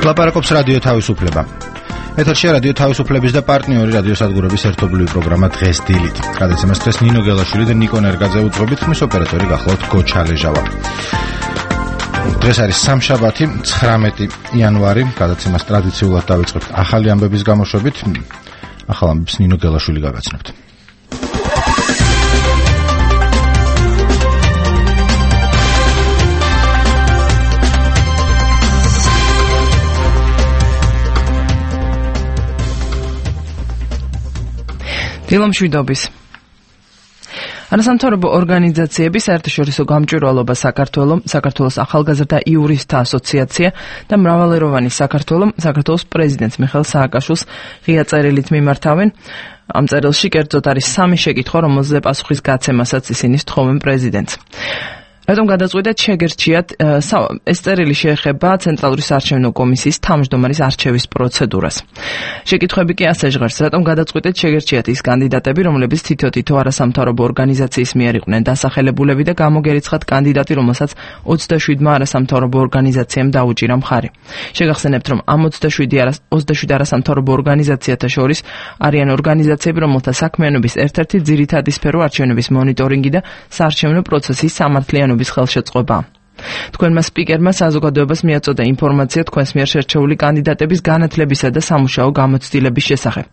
ლაპარაკობს რადიო თავისუფლება. ეთერშია რადიო თავისუფლების და პარტნიორი რადიოსადგურების ერთობლივი პროგრამა დღეს დილით. გადაცემას დღეს ნინო გელაშვილი და ნიკო ნერგაძე უძღვებით, ხმის ოპერატორი გახლავთ გოჩალეჟავა. დღეს არის სამშაბათი, 19 იანვარი. გადაცემას ტრადიციულად დავიწყებთ ახალი ამბების გამოშვებით. ახალ ამბებს ნინო გელაშვილი გაგაცნობთ. დილომშვიდობის. არასამთავრობო ორგანიზაციების საერთაშორისო გამჭვირვალობა საქართველოს ახალგაზრდა იურისტთა ასოციაცია და მრავალეროვანი საქართველოს პრეზიდენტს მიხეილ სააკაშვილს ღია წერილით მიმართავენ. ამ წერილში კერძოდ არის 3 შეკითხვა, რომელზე პასუხის გაცემასაც ისინი სთხოვენ პრეზიდენტს. რატომ გადაწყვიტეთ შეგერჩიათ ეს წერილი შეეხება ცენტრალური საარჩევნო კომისიის თავმჯდომარის არჩევის პროცედურას. შეკითხვები კი ასე ჟღერს, რატომ გადაწყვიტეთ შეგერჩიათ ის კანდიდატები, რომლებიც თითო არასამთავრობო ორგანიზაციის მიერ იყვნენ დასახელებულები და გამოგერიცხათ კანდიდატი, რომელსაც 27-მა არასამთავრობო ორგანიზაციამ დაუჭირა მხარი. შეგახსენებთ, რომ ამ 27 არასამთავრობო ორგანიზაციათა შორის არიან ორგანიზაციები, რომელთა საქმიანობის ერთ-ერთი ძირითადი სფერო არჩევნების მონიტორინგი და საარჩევნო პროცესის სამართლიანობის ხელშეწყობა. თქვენმა სპიკერმა საზოგადოებას მიაწოდა ინფორმაცია თქვენს მიერ შერჩეული კანდიდატების განათლებისა და სამუშაო გამოცდილების შესახებ.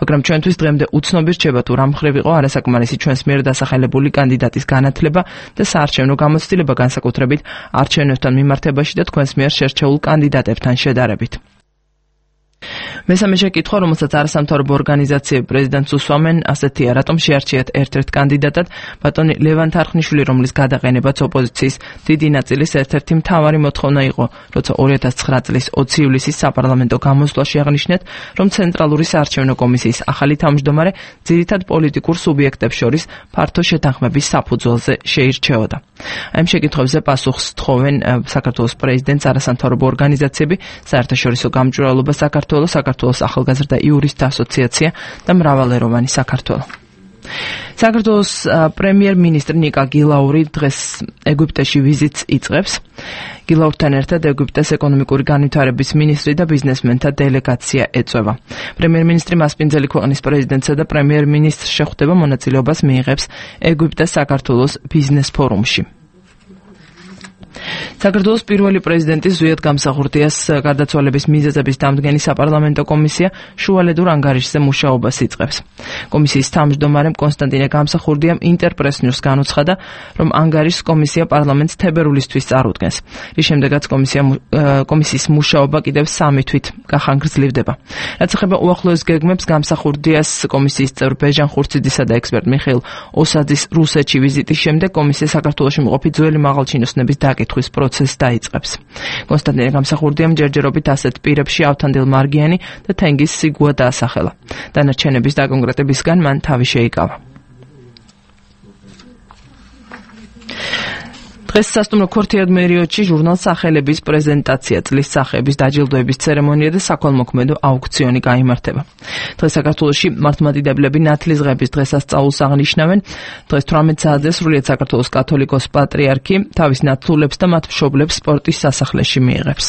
მაგრამ ჩვენთვის დღემდე უცნობი რჩება თუ რა მხრივ იყო არასაკმარისი ჩვენს მიერ დასახელებული კანდიდატის განათლება და საარჩევნო გამოცდილება განსაკუთრებით არჩევნებთან მიმართებაში და თქვენს მიერ შერჩეულ კანდიდატებთან შედარებით. მესამე შეკითხვა, რომელსაც არასამთავრობო ორგანიზაციები პრეზიდენტს უსვამენ, ასეთია: რატომ შეარჩიათ ერთ-ერთ კანდიდატად ბატონი ლევან თარხნიშვილი, რომლის გადაყენებაც ოპოზიციის დიდი ნაწილის ერთ-ერთი მთავარი მოთხოვნა იყო, როცა 2009 წლის 20 ივლისის საპარლამენტო გამოსვლაში აღნიშნეთ, რომ ცენტრალური საარჩევნო კომისიის ახალი თავმჯდომარე ძირითად პოლიტიკურ სუბიექტებს შორის ფართო შეთანხმების საფუძველზე შეირჩეოდა. ამ შეკითხვებზე პასუხს თხოვენ საქართველოს პრეზიდენტს არასამთავრობო ორგანიზაციები, საერთაშორისო გამჭვირვალობა საქართველოს ახალგაზრდა იურისტთა ასოციაცია და მრავალეროვანი საქართველო. საქართველოს პრემიერ-მინისტრი ნიკა გილაური დღეს ეგვიპტეში ვიზიტს იწყებს. გილაურთან ერთად ეგვიპტეს ეკონომიკური განვითარების მინისტრი და ბიზნესმენთა დელეგაცია ეწვევა. პრემიერ-მინისტრი მასპინძელი ქვეყნის პრეზიდენტსა და პრემიერ-მინისტრს შეხვდება, მონაწილეობას მიიღებს ეგვიპტეს საქართველოს ბიზნეს ფორუმში. საქართველოს პირველი პრეზიდენტის ზვიად გამსახურდიას გარდაცვალების მიზეზების დამდგენი საპარლამენტო კომისია შუალედურ ანგარიშზე მუშაობას იწყებს. კომისიის თავმჯდომარემ კონსტანტინე გამსახურდიამ ინტერპრეს-ნიუსს განუცხადა, რომ ანგარიშს კომისია პარლამენტს თებერვლისთვის წარუდგენს, რის შემდეგაც კომისიის მუშაობა კიდევ 3 თვით გახანგრძლივდება. რაც ეხება უახლოეს გეგმებს, გამსახურდიას კომისიის წევრ ბეჟან ხურციძისა და ექსპერტ მიხეილ ოსაძის რუსეთში ვიზიტის შემდეგ კომისია საქართველოში მყოფი ძველი მაღალჩინოსნების დაკითხვის პროცესს დაიწყებს. კონსტანტინე გამსახურდიამ ჯერჯერობით ასეთ პირებში ავთანდილ მარგიანი და თენგიზ სიგუა დაასახელა. დანარჩენების დაკონკრეტებისგან მან თავი შეიკავა. დღეს სასტუმრო ქორთიად მერიოტში ჟურნალ სახელების პრეზენტაცია, წლის სახეების დაჯილდოების ცერემონია და საქველმოქმედო აუქციონი გაიმართება. დღეს საქართველოში მართლმადიდებლები ნათლისღების დღესასწაულს აღნიშნავენ. დღეს 18 საათზე სრულიად საქართველოს კათოლიკოს პატრიარქი თავის ნათლულებს და მათ მშობლებს სპორტის სასახლეში მიიღებს.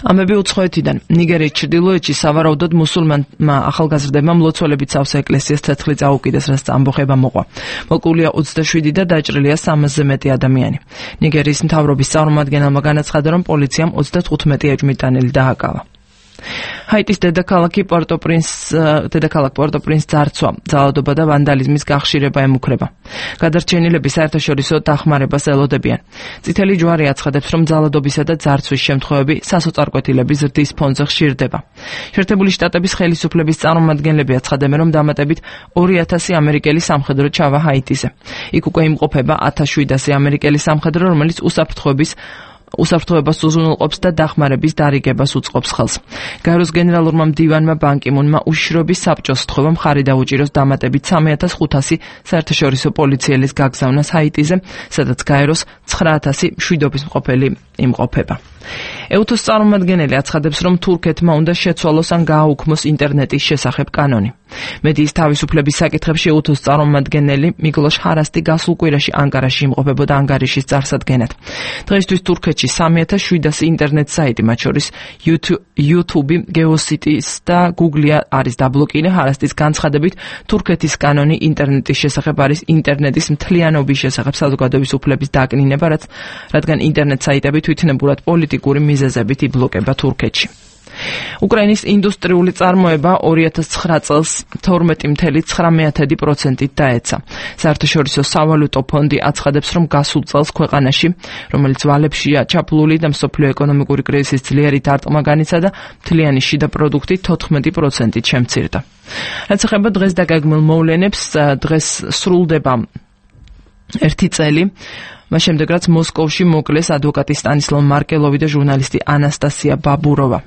ამები უცხოეთიდან. ნიგერიის ჩრდილოეთში სავარაუდოდ მუსულმანმა ახალგაზრდებმა მლოცველებით სავსე ეკლესიას ცეცხლი წაუკიდეს, რაც ამბოხება მოყვა. მოკულია 27 და დაჭრილია 300-ზე მეტი ადამიანი. ნიგერიის მთავრობის წარმომადგენელმა განაცხადა, რომ პოლიციამ 35 ეჭვმიტანილი დააკავა. ჰაიტის დედაქალაქ პორტო-პრინს ძარცვა, ძალადობა და ვანდალიზმის გახშირება ემუქრება. გადარჩენილები საერთაშორისო დახმარებას ელოდებიან. წითელი ჯვარი აცხადებს, რომ ძალადობისა და ძარცვის შემთხვევები სასოწარკვეთილების ზრდის ფონზე ხშირდება. შეერთებული შტატების ხელისუფლების წარმომადგენლები აცხადებენ, რომ დამატებით 2000 ამერიკელი სამხედრო ჩავა ჰაიტიზე. იქ უკვე იმყოფება 1700 ამერიკელი სამხედრო, რომელიც უსაფრთხოებას უზრუნველყოფს და დახმარების დარიგებას უწყობს ხელს. გაეროს გენერალურმა მდივანმა ბან კი მუნმა უშიშროების საბჭოს სთხოვა მხარი დაუჭიროს დამატებით 3500 საერთაშორისო პოლიციელის გაგზავნას ჰაიტიზე, სადაც გაეროს 9000 მშვიდობის მყოფელი იმყოფება. ეუთოს წარმომადგენელი აცხადებს, რომ თურქეთმა უნდა შეცვალოს ან გააუქმოს ინტერნეტის შესახებ კანონი. მედიის თავისუფლების საკითხებში უთოს წარმომადგენელი მიგლოშ ჰარასტი გასულ კვირაში ანკარაში იმყოფებოდა ანგარიშის წარსადგენად. დღეისთვის თურქეთში 3700 ინტერნეტ საიტი, მათ შორის YouTube, Geocities და Google არის დაბლოკილი. ჰარასტის განცხადებით, თურქეთის კანონი ინტერნეტის შესახებ არის ინტერნეტის მთლიანობის შესახებ საზოგადოების უფლების დაკნინება, რადგან ინტერნეტ საიტები თვითნებურად პოლიტიკური მიზეზებით იბლოკება თურქეთში. უკრაინის ინდუსტრიული წარმოება 2009 წელს 12.9%-ით დაეცა. საერთაშორისო სავალუტო ფონდი აცხადებს, რომ გასულ წელს ქვეყანაში, რომელიც ვალებშია ჩაფლული და მსოფლიო ეკონომიკური კრიზისის ძლიერი დარტყმა განიცადა, მთლიანი შიდა პროდუქტი 14%-ით შემცირდა. რაც ეხება დღეს დაგეგმილ მოვლენებს, დღეს სრულდება 1 წელი. მას შემდეგ, რაც მოსკოვში მოკლეს ადვოკატი სტანისლავ მარკელოვი და ჟურნალისტი ანასტასია ბაბუროვა.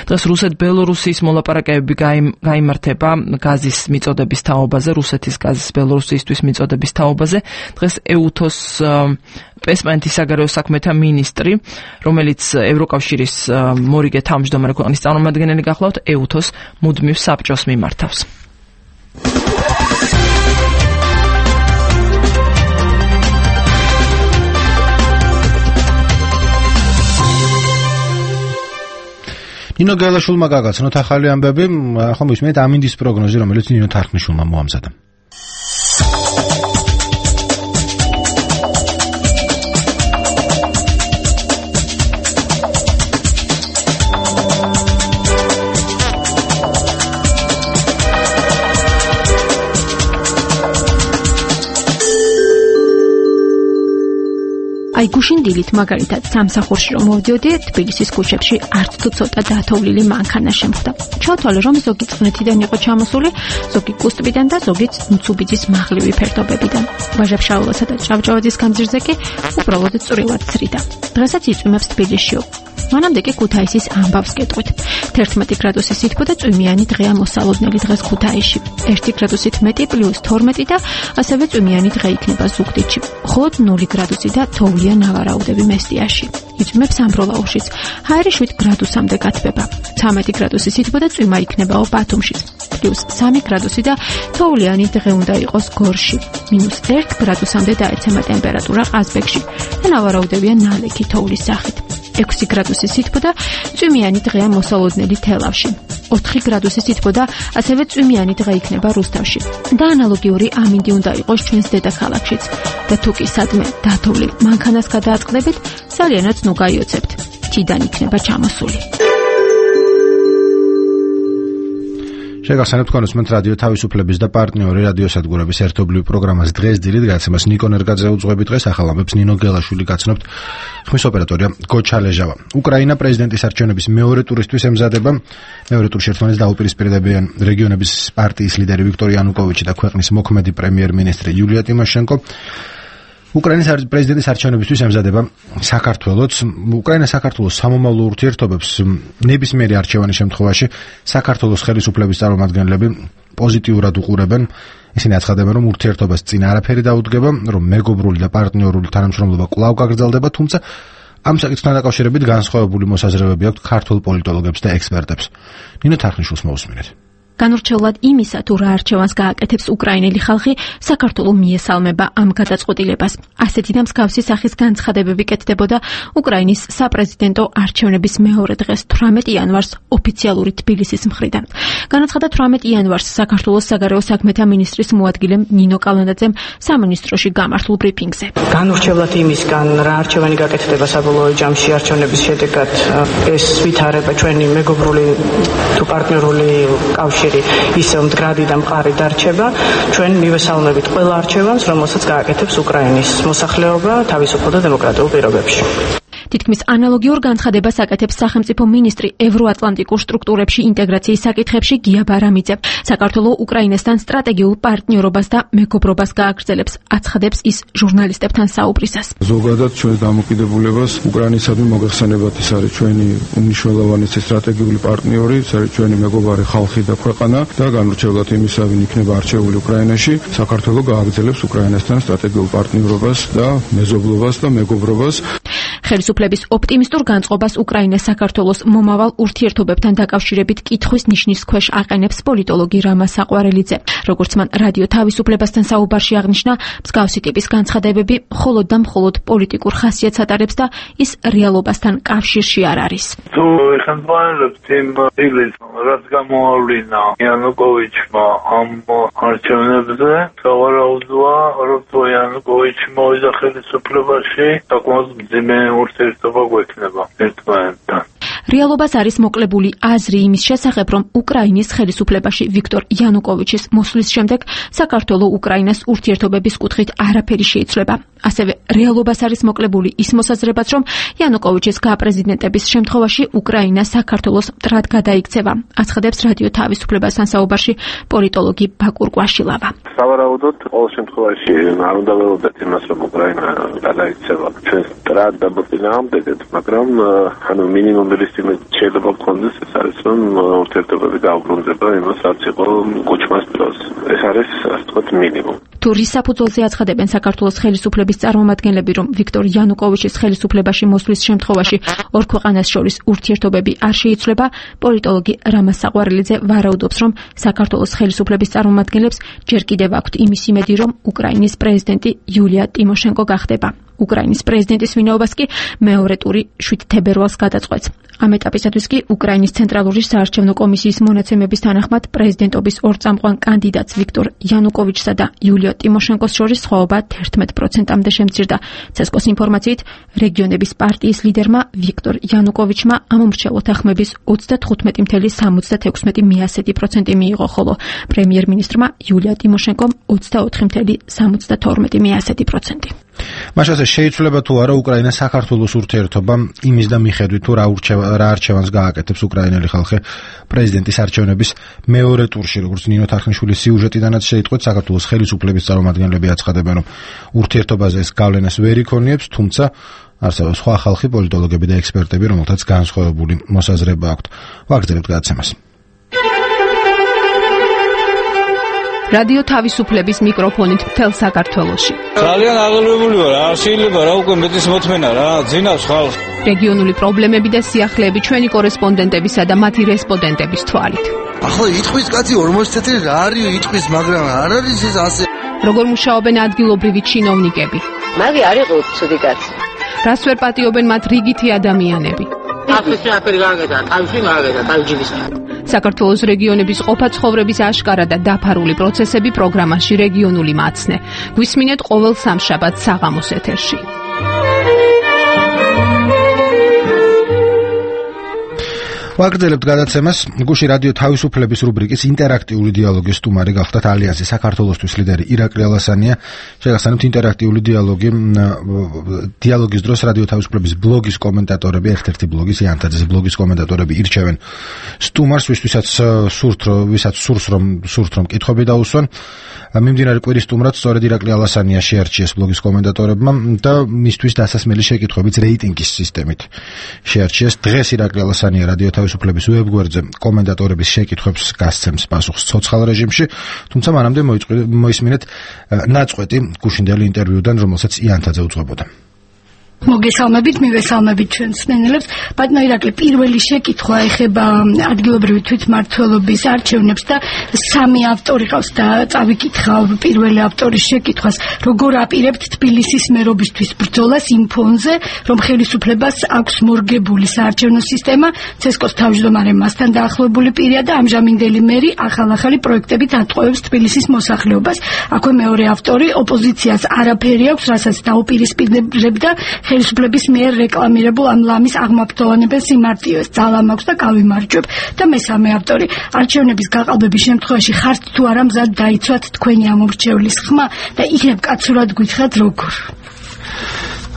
დღეს რუსეთ-ბელორუსიის მოლაპარაკებები გაიმართება გაზის მიწოდების თაობაზე, რუსეთის გაზის ბელორუსიისთვის მიწოდების თაობაზე. დღეს ეუთოს ესპანეთის საგარეო საქმეთა მინისტრი, რომელიც ევროკავშირის მორიგე თავმჯდომარე ქვეყნის წარმომადგენელი გახლავთ, ეუთოს მუდმივ საბჭოს მიმართავს. ნინო გელაშვილმა გაგაცნოთ ახალი ამბები, ახლა მისმენთ ამინდის პროგნოზი, რომელიც ნინო თარხნიშვილმა მოამზადა. აი გუშინ დილით მაგალითად სამსახურში რომ მოვდიოდი, თბილისის ქუჩებში არც თუ ცოტა დათოვლილი მანქანა შემხვდა. ჩავთვალე, რომ ზოგი წყნეთიდან იყო ჩამოსული, ზოგი კუსტბიდან და ზოგიც მცუბიძის მაღლივი ფერდობებიდან. ვაჟა-ფშაველასა და ჭავჭავაძის გამზირზე კი უბრალოდ წვრილად ცრიდა. დღესაც იწვიმებს თბილისშიო. მანამდე კი ქუთაისის ამბავს კეტყვით. 11 გრადუსი სითბო და წვიმიანი დღეა მოსალოდნელი დღეს ქუთაისში. 1 გრადუსით მეტი +12 და ასევე წვიმიანი დღე იქნება ზუგდიდში. მხოლოდ 0 გრადუსი და თოვლია ნავარაუდები მესტიაში. იწვიმებს ამბროლაურშიც. ჰაერი 7 გრადუსამდე გათბება. 13 გრადუსი სითბო და წვიმა იქნებაო ბათუმშიც. +3 გრადუსი და თოვლიანი დღე უნდა იყოს გორში. -1 გრადუსამდე დაეცემა ტემპერატურა ყაზბეგში და ნავარაუდებია ნალექი თოვლის სახით. 6 გრადუსი სითბო და წვიმიანი დღეა მოსალოდნელი თელავში. 4 გრადუსი სითბო და ასევე წვიმიანი დღე იქნება რუსთავში. და ანალოგიური ამინდი უნდა იყოს ჩვენს დედაქალაქშიც. და თუ კი სადმე დათოვლილ მანქანას გადააწყდებით, ძალიანაც ნუ გაიოცებთ. თიდან იქნება ჩამოსული. შეგახსენებთ კონსუმენტ რადიო თავისუფლების და პარტნიორი რადიოსადგურების ერთობლივი პროგრამას დღეს დილით გაცემას ნიკო ნერგაძე უძღვებით. დღეს ახალ ამბებს ნინო გელაშვილი გაცნობთ. ხმის ოპერატორია გოჩალეჟავა. უკრაინა პრეზიდენტის არჩევნების მეორე ტურისთვის ემზადება. მეორე ტურში ერთმანეთს დაუპირისპირდებიან რეგიონების პარტიის ლიდერი ვიქტორ იანუკოვიჩი და ქვეყნის მოქმედი პრემიერ-მინისტრი იულია ტიმოშენკო. უკრაინის პრეზიდენტის არჩევნებისთვის ემზადება საქართველოც. უკრაინა-საქართველოს სამომავლო ურთიერთობებს ნებისმიერი არჩევანის შემთხვევაში საქართველოს ხელისუფლების წარმომადგენლები პოზიტიურად უყურებენ. ისინი აცხადებენ, რომ ურთიერთობას წინ არაფერი დაუდგება, რომ მეგობრული და პარტნიორული თანამშრომლობა კვლავ გაგრძელდება, თუმცა ამ საკითხთან დაკავშირებით განსხვავებული მოსაზრებები აქვთ ქართულ პოლიტოლოგებს და ექსპერტებს. ნინო თარხნიშვილს მოусმინეთ. განურჩევლად იმისა, თუ რა არჩევანს გააკეთებს უკრაინელი ხალხი, საქართველო მიესალმება ამ გადაწყვეტილებას. ასეთი და მსგავსი სახის განცხადებები კეთდებოდა უკრაინის საპრეზიდენტო არჩევნების მეორე დღეს 18 იანვარს ოფიციალური თბილისის მხრიდან. განაცხადა 18 იანვარს საქართველოს საგარეო საქმეთა მინისტრის მოადგილემ ნინო კალანდაძემ სამინისტროში გამართულ ბრიფინგზე. განურჩევლად იმისგან, რა არჩევანი გაკეთდება საბოლოო ჯამში არჩევნების შედეგად, ეს ვითარება ჩვენი მეგობრული თუ პარტნიორული კავშირი ისევ მდგრადი და მყარი დარჩება. ჩვენ მივესალმებით ყველა არჩევანს, რომელსაც გააკეთებს უკრაინის მოსახლეობა თავისუფალ და დემოკრატიულ პირობებში. თითქმის ანალოგიურ განცხადებას აკეთებს სახელმწიფო მინისტრი ევროატლანტიკურ სტრუქტურებში ინტეგრაციის საკითხებში გია ბარამიძე. საქართველო უკრაინასთან სტრატეგიულ პარტნიორობას და მეგობრობას გააგრძელებს, აცხადებს ის ჟურნალისტებთან საუბრისას. ზოგადად ჩვენს დამოკიდებულებას უკრაინისადმი მოგეხსენებათ, ის არის ჩვენი უმნიშვნელოვანესი სტრატეგიული პარტნიორი, ის არის ჩვენი მეგობარი ხალხი და ქვეყანა და განურჩევლად იმისა, ვინ იქნება არჩეული უკრაინაში, საქართველო გააგრძელებს უკრაინასთან სტრატეგიულ პარტნიორობას და მეზობლობას და მეგობრობას. ხელისუფლების ოპტიმისტურ განწყობას უკრაინა საქართველოს მომავალ ურთიერთობებთან დაკავშირებით კითხვის ნიშნის ქვეშ აყენებს პოლიტოლოგი რამა საყვარელიძე. როგორც მან რადიო თავისუფლებასთან საუბარში აღნიშნა, მსგავსი ტიპის განცხადებები მხოლოდ და მხოლოდ პოლიტიკურ ხასიათს ატარებს და ის რეალობასთან კავშირში არ არის. თუ ეხმარებთ იმ დილის, რაც გამოავლინა იანუკოვიჩმა ამ არჩევნებზე, სავარაუდოა, რომ იანუკოვიჩი მოვიდა ხელისუფლებაში, საკმაოდ მძიმე ურთიერთობა გვექნება ერთმანეთთან. რეალობას არის მოკლებული აზრი იმის შესახებ, რომ უკრაინის ხელისუფლებაში ვიქტორ იანუკოვიჩის მოსვლის შემდეგ საქართველოს უკრაინას ურთიერთობების კუთხით არაფერი შეიცვლება. ასევე რეალობას არის მოკლებული ის მოსაზრებაც, რომ იანუკოვიჩის გაპრეზიდენტების შემთხვევაში უკრაინა საქართველოს მტრად გადაიქცევა. აცხადებს რადიო თავისუფლებასთან საუბარში პოლიტოლოგი ბაკურ კვაშილავა. სავარაუდოდ ყოველ შემთხვევაში არ უნდა ველოდეთ იმას, რომ უკრაინა გადაიქცევა ჩვენს მტრად დაბრძანებამდე, მაგრამ მინიმუმ შეიძლება გქონდეს ეს არის, რომ ურთიერთობები გაუბრუნდება იმას, რაც იყო კუჩმას დროს. ეს არის, ასე ვთქვათ, მინიმუმ. თუ რის საფუძველზე აცხადებენ საქართველოს ხელისუფლების წარმომადგენლები, რომ ვიქტორ იანუკოვიჩის ხელისუფლებაში მოსვლის შემთხვევაში ორ ქვეყანას შორის ურთიერთობები არ შეიცვლება, პოლიტოლოგი რამა საყვარელიძე ვარაუდობს, რომ საქართველოს ხელისუფლების წარმომადგენლებს ჯერ კიდევ აქვთ იმის იმედი, რომ უკრაინის პრეზიდენტი იულია ტიმოშენკო გახდება. უკრაინის პრეზიდენტის ვინაობას კი მეორე ტური 7 თებერვალს გადაწყვეტს. ამ ეტაპისათვის კი უკრაინის ცენტრალური საარჩევნო კომისიის მონაცემების თანახმად პრეზიდენტობის ორწამყვან კანდიდატს ვიქტორ იანუკოვიჩსა და იულია ტიმოშენკოს შორის სხვაობა 11%-მდე შემცირდა. ცესკოს ინფორმაციით, რეგიონების პარტიის ლიდერმა ვიქტორ იანუკოვიჩმა ამ მრჩეველთა ხმების 35,76% მიიღო, ხოლო პრემიერ-მინისტრმა იულია ტიმოშენკომ 24,72%. მაშასე შეიცვლება თუ არა უკრაინა საქართველოს ურთიერთობა იმის და მიხედვით თუ რა არჩევანს გააკეთებს უკრაინელი ხალხი პრეზიდენტის არჩევნების მეორე ტურში, როგორც ნინო თარხნიშვილის სიუჟეტიდანაც შეიტყვეთ, საქართველოს ხელისუფლების წარმომადგენლები აცხადებენ, რომ ურთიერთობაზე ეს გავლენას ვერ იქონიებს, თუმცა არსებობს სხვა ხალხი, პოლიტოლოგები და ექსპერტები, რომელთაც განსხვავებული მოსაზრება აქვთ. ვაგრძელებთ გადაცემას. რადიო თავისუფლების მიკროფონით მთელ საქართველოში. ძალიან აღელვებული ვარ, არ შეიძლება რა უკვე მეტის მოთმენა რა, ძინავს ხალხს. რეგიონული პრობლემები და სიახლეები ჩვენი კორესპონდენტებისა და მათი რესპონდენტების თვალით. ახლა იტყვის კაცი 40 წელი რა არის იტყვის, მაგრამ არ არის ეს ასე. როგორ მუშაობენ ადგილობრივი ჩინოვნიკები? მაგი არ იყო ცუდი კაცი. რას ვერ პატიობენ მათ რიგითი ადამიანები? ახლა აფერი გააკეთა, თავში გააკეთა, თავჯიბის. საქართველოს რეგიონების ყოფა-ცხოვრების აშკარა და დაფარული პროცესები პროგრამაში რეგიონული მაცნე. გვისმინეთ ყოველ სამშაბათს საღამოს ეთერში. ვაგრძელებთ გადაცემას. გუში რადიო თავისუფლების რუბრიკის ინტერაქტიული დიალოგის სტუმარი გახდათ ალიანსის საქართველოსთვის ლიდერი ირაკლი ალასანია. შეგახსენებთ ინტერაქტიული დიალოგის დროს რადიო თავისუფლების ბლოგის კომენტატორები, ერთ-ერთი ბლოგის იანთაძის ბლოგის კომენტატორები ირჩევენ სტუმარს, ვისაც სურს რომ კითხვები დაუსვან. მიმდინარე კვირის სტუმრად სწორედ ირაკლი ალასანია შეარჩიეს ბლოგის კომენტატორებმა და მისთვის დასასმელი შეკითხვებიც რეიტინგის სისტემით შეარჩიეს. დღეს ირაკლი ალასანია რადიო თავისუფლების ვებგვერდზე კომენტატორების შეკითხვებს გასცემს პასუხს ცოცხალ რეჟიმში, თუმცა მანამდე მოისმინეთ ნაწყვეტი გუშინდელი ინტერვიუდან, რომელსაც იანთაძე უძღვებოდა. მოგესალმებით, მივესალმებით ჩვენს მსმენელებს. ბატონო ირაკლი, პირველი შეკითხვა ეხება ადგილობრივი თვითმმართველობის არჩევნებს და სამი ავტორი ყავს და წავიკითხავ პირველი ავტორის შეკითხვას. როგორ აპირებთ თბილისის მერობისთვის ბრძოლას იმ ფონზე, რომ ხელისუფლებას აქვს მორგებული საარჩევნო სისტემა, ცესკოს თავმჯდომარე მასთან დაახლოებული პირია და ამჟამინდელი მერი ახალ-ახალი პროექტებით ატყუებს თბილისის მოსახლეობას. აქვე მეორე ავტორი, ოპოზიციას არაფერი აქვს, რასაც დაუპირისპირებდა ხელისუფლების მიერ რეკლამირებულ ამ ლამის აღმაფრთოვანებელ სიმარტივეს, ძალა მაქვს და გავიმარჯვებ. და მესამე ავტორი, არჩევნების გაყალბების შემთხვევაში ხართ თუ არა მზად დაიცვათ თქვენი ამომრჩევლის ხმა და იქნებ კაცურად გითხრათ როგორ?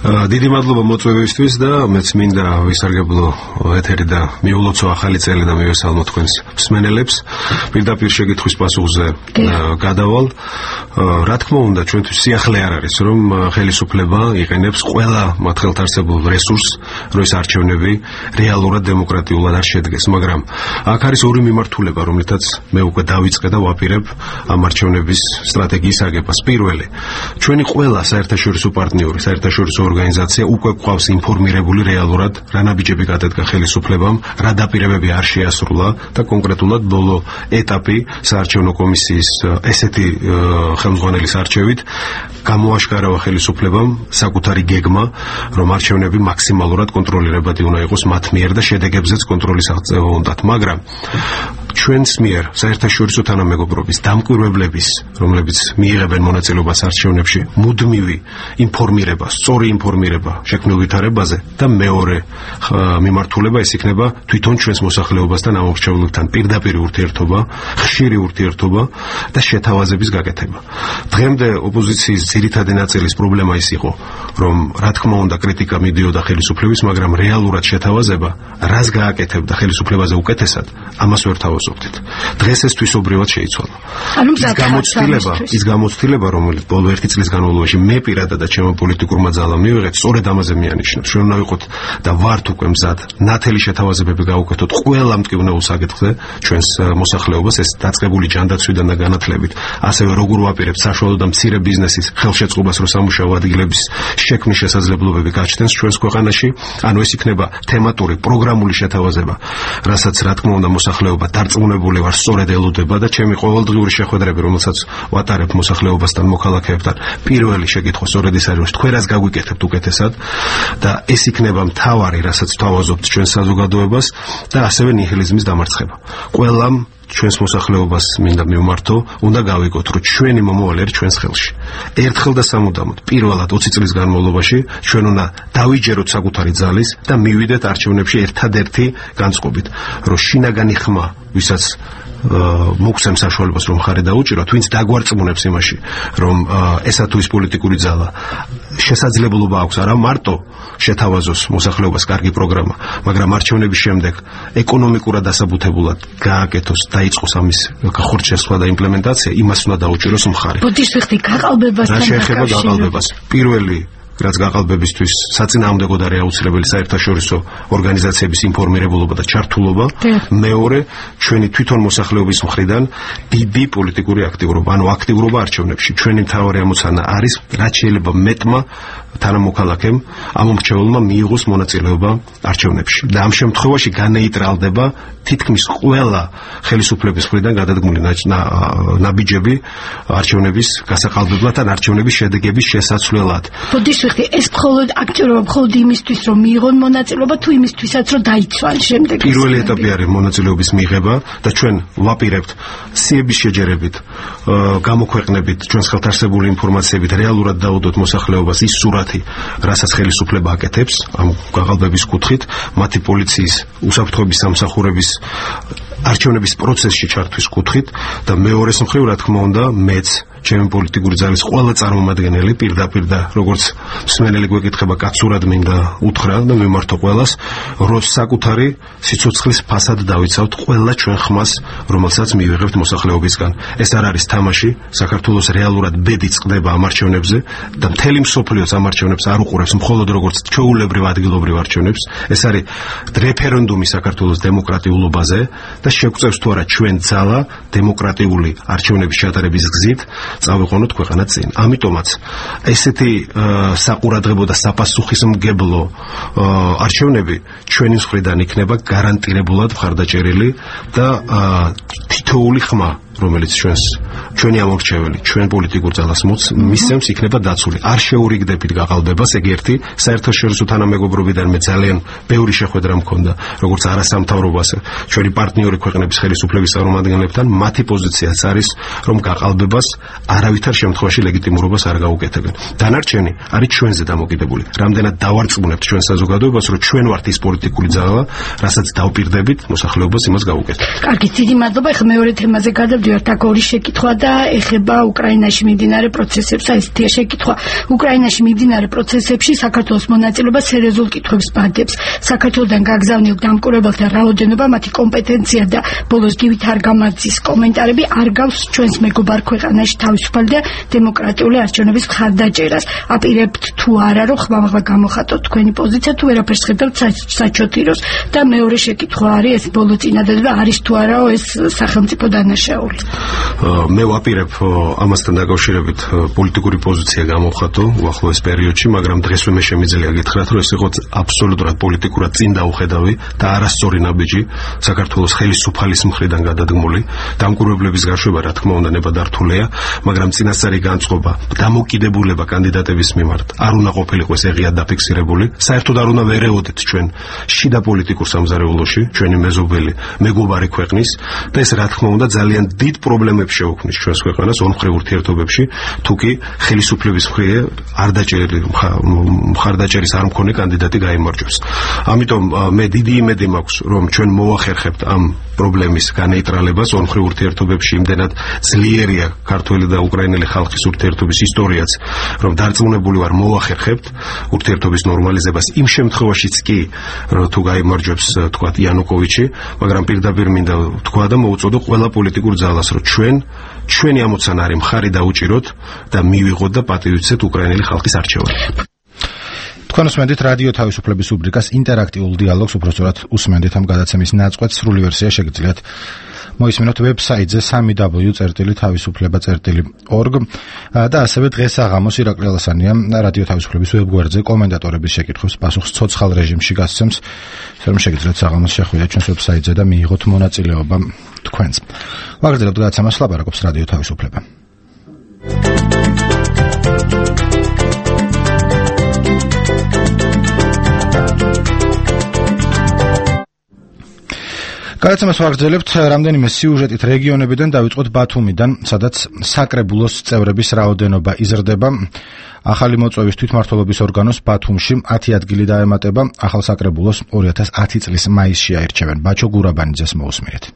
დიდი მადლობა მოწვევისთვის და მეც მინდა ვისარგებლო ეთერი და მიულოცო ახალი წელი და მივესალმო თქვენს მსმენელებს. პირდაპირ შეკითხვის პასუხზე გადავალ. რა თქმა უნდა, ჩვენთვის სიახლე არ არის, რომ ხელისუფლება იყენებს ყველა მათ ხელთარსებულ რესურსს, რომ ეს არჩევნები რეალურად დემოკრატიულად არ შედგეს, მაგრამ აქ არის ორი მიმართულება, რომლითაც მე უკვე დავიწყე და ვაპირებ ამ არჩევნების სტრატეგიის აგებას. პირველი, ჩვენი ყველა საერთაშორისო პარტნიორი, საერთაშორისო ორგანიზაცია უკვე გვყავს ინფორმირებული რეალურად რა ნაბიჯები გადადგა ხელისუფლებამ, რა დაპირებები არ შეასრულა და კონკრეტულად ბოლო ეტაპი საარჩევნო კომისიის ესეთი ხელმძღვანელის არჩევით გამოაშკარავა ხელისუფლებამ საკუთარი გეგმა, რომ არჩევნები მაქსიმალურად კონტროლირებადი უნდა იყოს მათ მიერ და შედეგებზეც კონტროლის აღწევა უნდათ, მაგრამ ჩვენს მიერ საერთაშორისო თანამეგობრობის დამკვირვებლების, რომლებიც მიიღებენ მონაწილეობას არჩევნებში, მუდმივი ინფორმირება, სწორი ინფორმირება შექმნილ ვითარებაზე და მეორე მიმართულება ეს იქნება თვითონ ჩვენს მოსახლეობასთან ამორჩეულებთან პირდაპირ ურთიერთობა, ხშირი ურთიერთობა და შეთავაზების გაკეთება. დღემდე ოპოზიციის ძირითადი ნაწილის პრობლემა ის იყო, რომ რა თქმა უნდა კრიტიკა მიდიოდა ხელისუფლების, მაგრამ რეალურად შეთავაზება, რას გააკეთებდა ხელისუფლებაზე უკეთესად, ამას ვერ თავაზობდით. დღეს ეს თვისობრივად შეიცვალა. ის გამოცდილება, რომელიც ბოლო 1 წლის განმავლობაში მე პირადად და ჩემო პოლიტიკურმა ძალამ მივიღეთ, სწორედ ამაზე მეანიშნებს. ჩვენ უნდა ვიყოთ და ვართ უკვე მზად ნათელი შეთავაზებები გავუკეთოთ ყველა მტკივნეულ საკითხზე ჩვენს მოსახლეობას, ეს დაწყებული ჯანდაცვიდან და განათლებით, ასევე როგორ ვაპირებთ საშუალო და მცირე ბიზნესის ხელშეწყობას, რომ სამუშაო ადგილების შექმნის შესაძლებლობები გაჩნდეს ჩვენს ქვეყანაში. ანუ ეს იქნება თემატური პროგრამული შეთავაზება, რასაც რა თქმა უნდა მოსახლეობა დარწმუნებული ვარ სწორედ ელოდება და ჩემი ყოველდღიური შეხვედრები, რომელსაც ვატარებ მოსახლეობასთან, მოქალაქეებთან, პირველი შეკითხვა სწორედ ის არის, თქვენ რას გაგვიკეთებთ უკეთესად და ეს იქნება მთავარი, რასაც თავაზობთ ჩვენ საზოგადოებას და ასევე ნიჰილიზმის დამარცხება. ყველამ ჩვენს მოსახლეობას მინდა მივმართო, უნდა გავიგოთ, რომ ჩვენი მომავალი არის ჩვენს ხელში. ერთხელ და სამუდამოდ, პირველად 20 წლის განმავლობაში ჩვენ უნდა დავიჯეროთ საკუთარი ძალის და მივიდეთ არჩევნებში ერთადერთი განწყობით, რომ შინაგანი ხმა, ვისაც მოგცემს საშუალებას რომ ხარი დაუჭიროთ, ვინც დაგვარწმუნებს იმაში, რომ ესა თუ ის პოლიტიკური ძალა შესაძლებლობა აქვს არა მარტო შეთავაზოს მოსახლეობას კარგი პროგრამა, მაგრამ არჩევნების შემდეგ ეკონომიკურად დასაბუთებულად გააკეთოს, დაიწყოს ამის ხორცშესხვა და იმპლემენტაცია, იმას უნდა დაუჭიროს მხარი. ბოდიშ ვიხდი გაყალბებასთან რა შეეხება გაყალბებას? პირველი რაც გაყალბებისთვის საწინააღმდეგოდ არის აუცილებელი საერთაშორისო ორგანიზაციების ინფორმირებულობა და ჩართულობა. მეორე, ჩვენი თვითონ მოსახლეობის მხრიდან დიდი პოლიტიკური აქტიურობა, ანუ აქტიურობა არჩევნებში. ჩვენი მთავარი ამოცანა არის, რაც შეიძლება მეტმა თანამოქალაქემ ამომრჩეველმა მიიღოს მონაწილეობა არჩევნებში. და ამ შემთხვევაში განეიტრალდება თითქმის ყველა ხელისუფლების მხრიდან გადადგმული ნაბიჯები არჩევნების გასაყალბებლად ან არჩევნების შედეგების შესაცვლელად. ეს მხოლოდ აქტიურობა მხოლოდ იმისთვის, რომ მიიღონ მონაწილეობა, თუ იმისთვისაც, რომ დაიცვან შემდეგ. პირველი ეტაპი არის მონაწილეობის მიღება და ჩვენ ვაპირებთ სიების შეჯერებით, გამოქვეყნებით ჩვენს ხელთ არსებული ინფორმაციებით, რეალურად დაუდოთ მოსახლეობას ის სურათი, რასაც ხელისუფლება აკეთებს ამ გაყალბების კუთხით, მათი პოლიციის უსაფრთხოების სამსახურების არჩევნების პროცესში ჩართვის კუთხით და მეორეს მხრივ, რა თქმა უნდა, მეც ჩემი პოლიტიკური ძალის ყველა წარმომადგენელი პირდაპირ და როგორც მსმენელი გვეკითხება კაცურად მინდა უთხრა და მიმართო ყველას, რომ საკუთარი სიცოცხლის ფასად დავიცავთ ყველა ჩვენ ხმას, რომელსაც მივიღებთ მოსახლეობისგან. ეს არ არის თამაში, საქართველოს რეალურად ბედი წყდება ამ არჩევნებზე და მთელი მსოფლიოც ამ არჩევნებს არ უყურებს მხოლოდ როგორც ჩვეულებრივ ადგილობრივ არჩევნებს. ეს არის რეფერენდუმი საქართველოს დემოკრატიულობაზე და შეგვწევს თუ არა ჩვენ ძალა დემოკრატიული არჩევნების ჩატარების გზით წავიყვანოთ ქვეყანა წინ. ამიტომაც ესეთი საყურადღებო და საპასუხისმგებლო არჩევნები ჩვენი მხრიდან იქნება გარანტირებულად მხარდაჭერილი და თითოეული ხმა, რომელიც ჩვენი ამორჩეველი, ჩვენ პოლიტიკურ ძალას მისცემს, იქნება დაცული. არ შეურიგდებით გაყალბებას, ეგ ერთი. საერთაშორისო თანამეგობრობიდან მე ძალიან ბევრი შეხვედრა მქონდა, როგორც არასამთავრობო, ჩვენი პარტნიორი ქვეყნების ხელისუფლების წარმომადგენლებთან, მათი პოზიციაც არის, რომ გაყალბებას არავითარ შემთხვევაში ლეგიტიმურობას არ გაუკეთებენ. დანარჩენი არის ჩვენზე დამოკიდებული. რამდენად დავარწმუნებთ ჩვენ საზოგადოებას, რომ ჩვენ ვართ ის პოლიტიკური ძალა, რასაც დავპირდებით მოსახლეობას იმას გაუკეთებთ. კარგი, დიდი მადლობა. ეხლა მეორე თემაზე გადავდივართ. აქ ორი შეკითხვა და ეხება უკრაინაში მიმდინარე პროცესებს. ესეთია შეკითხვა. უკრაინაში მიმდინარე პროცესებში საქართველოს მონაწილეობა სერიოზულ კითხვებს ბადებს. საქართველოსთან გაგზავნილ დამკვირვებელთა რაოდენობა, მათი კომპეტენცია და ბოლოს გივით არგამაძის კომენტარები არ გავს ჩვენს მეგობარ ქვეყანაში თავისუფალი და დემოკრატიული არჩევნების მხარდაჭერას. აპირებთ თუ არა, რომ ხმამაღლა გამოხატოთ თქვენი პოზიცია, თუ ვერაფერს ხედავთ საჩოთიროს. და მეორე შეკითხვა არის, ეს ბოლო წინადადება არის თუ არა ეს სახელმწიფო დანაშაული. გასული. მე ვაპირებ ამასთან დაკავშირებით პოლიტიკური პოზიცია გამოვხატო უახლოეს პერიოდში, მაგრამ დღესვე მე შემიძლია გითხრათ, რომ ეს იყო აბსოლუტურად პოლიტიკურად წინ დაუხედავი და არასწორი ნაბიჯი საქართველოს ხელისუფალის მხრიდან გადადგმული. დამკვირვებლების გაშვება, რა თქმა უნდა, ნებადართულია, მაგრამ წინასწარი განწყობა, დამოკიდებულება კანდიდატების მიმართ არ უნდა ყოფილიყო ეს ეღიად დაფიქსირებული. საერთოდ არ უნდა ვერეოდეთ ჩვენ შიდა პოლიტიკურ სამზარეულოში, ჩვენი მეზობელი მეგობარი ქვეყნის და ეს რა თქმა უნდა ძალიან დიდ პრობლემებს შეუქმნის ჩვენს ქვეყანას ორმხრივ ურთიერთობებში, თუკი ხელისუფლების მხრიდან არ დაჭერილი მხარდაჭერის არ მქონე კანდიდატი გაიმარჯვებს. ამიტომ მე დიდი იმედი მაქვს, რომ ჩვენ მოვახერხებთ ამ პრობლემის განეიტრალებას ორმხრივ ურთიერთობებში. იმდენად ძლიერია ქართველი და უკრაინელი ხალხის ურთიერთობის ისტორიაც, რომ დარწმუნებული ვარ მოვახერხებთ ურთიერთობის ნორმალიზებას იმ შემთხვევაშიც კი, რომ თუ გაიმარჯვებს თქვათ იანუკოვიჩი, მაგრამ პირდაპირ მინდა თქვა და მოუწოდო ყველა პოლიტიკურ ძალას, რომ ჩვენი ამოცანა არის მხარი დაუჭიროთ და მივიღოთ და პატივიცეთ უკრაინელი ხალხის არჩევანი. თქვენ უსმენთ რადიო თავისუფლების რუბრიკას ინტერაქტიულ დიალოგს, უბრალოდ უსმენთ ამ გადაცემის ნაწყვეტს, სრული ვერსია შეგიძლიათ მოისმინოთ ვებსაიტზე www.tavisufleba.org და ასევე დღეს აღამოს ირაკლი ალასანია რადიო თავისუფლების ვებგვერდზე კომენტატორების შეკითხვებს პასუხს ცოცხალ რეჟიმში გასცემს, რომ შეგიძლიათ აღამოს შეხვიდეთ ჩვენს ვებსაიტზე და მიიღოთ მონაწილეობა თქვენს. ვაგრძელებთ გადაცემას, ლაპარაკობს რადიო თავისუფლება. გადაცემას ვაგრძელებთ რამდენიმე სიუჟეტით რეგიონებიდან, დავიწყოთ ბათუმიდან, სადაც საკრებულოს წევრების რაოდენობა იზრდება. ახალი მოწვევის თვითმმართველობის ორგანოს ბათუმში 10 ადგილი დაემატება. ახალ საკრებულოს 2010 წლის მაისში აირჩევენ. ბაჩო გურაბანიძეს მოусმინეთ.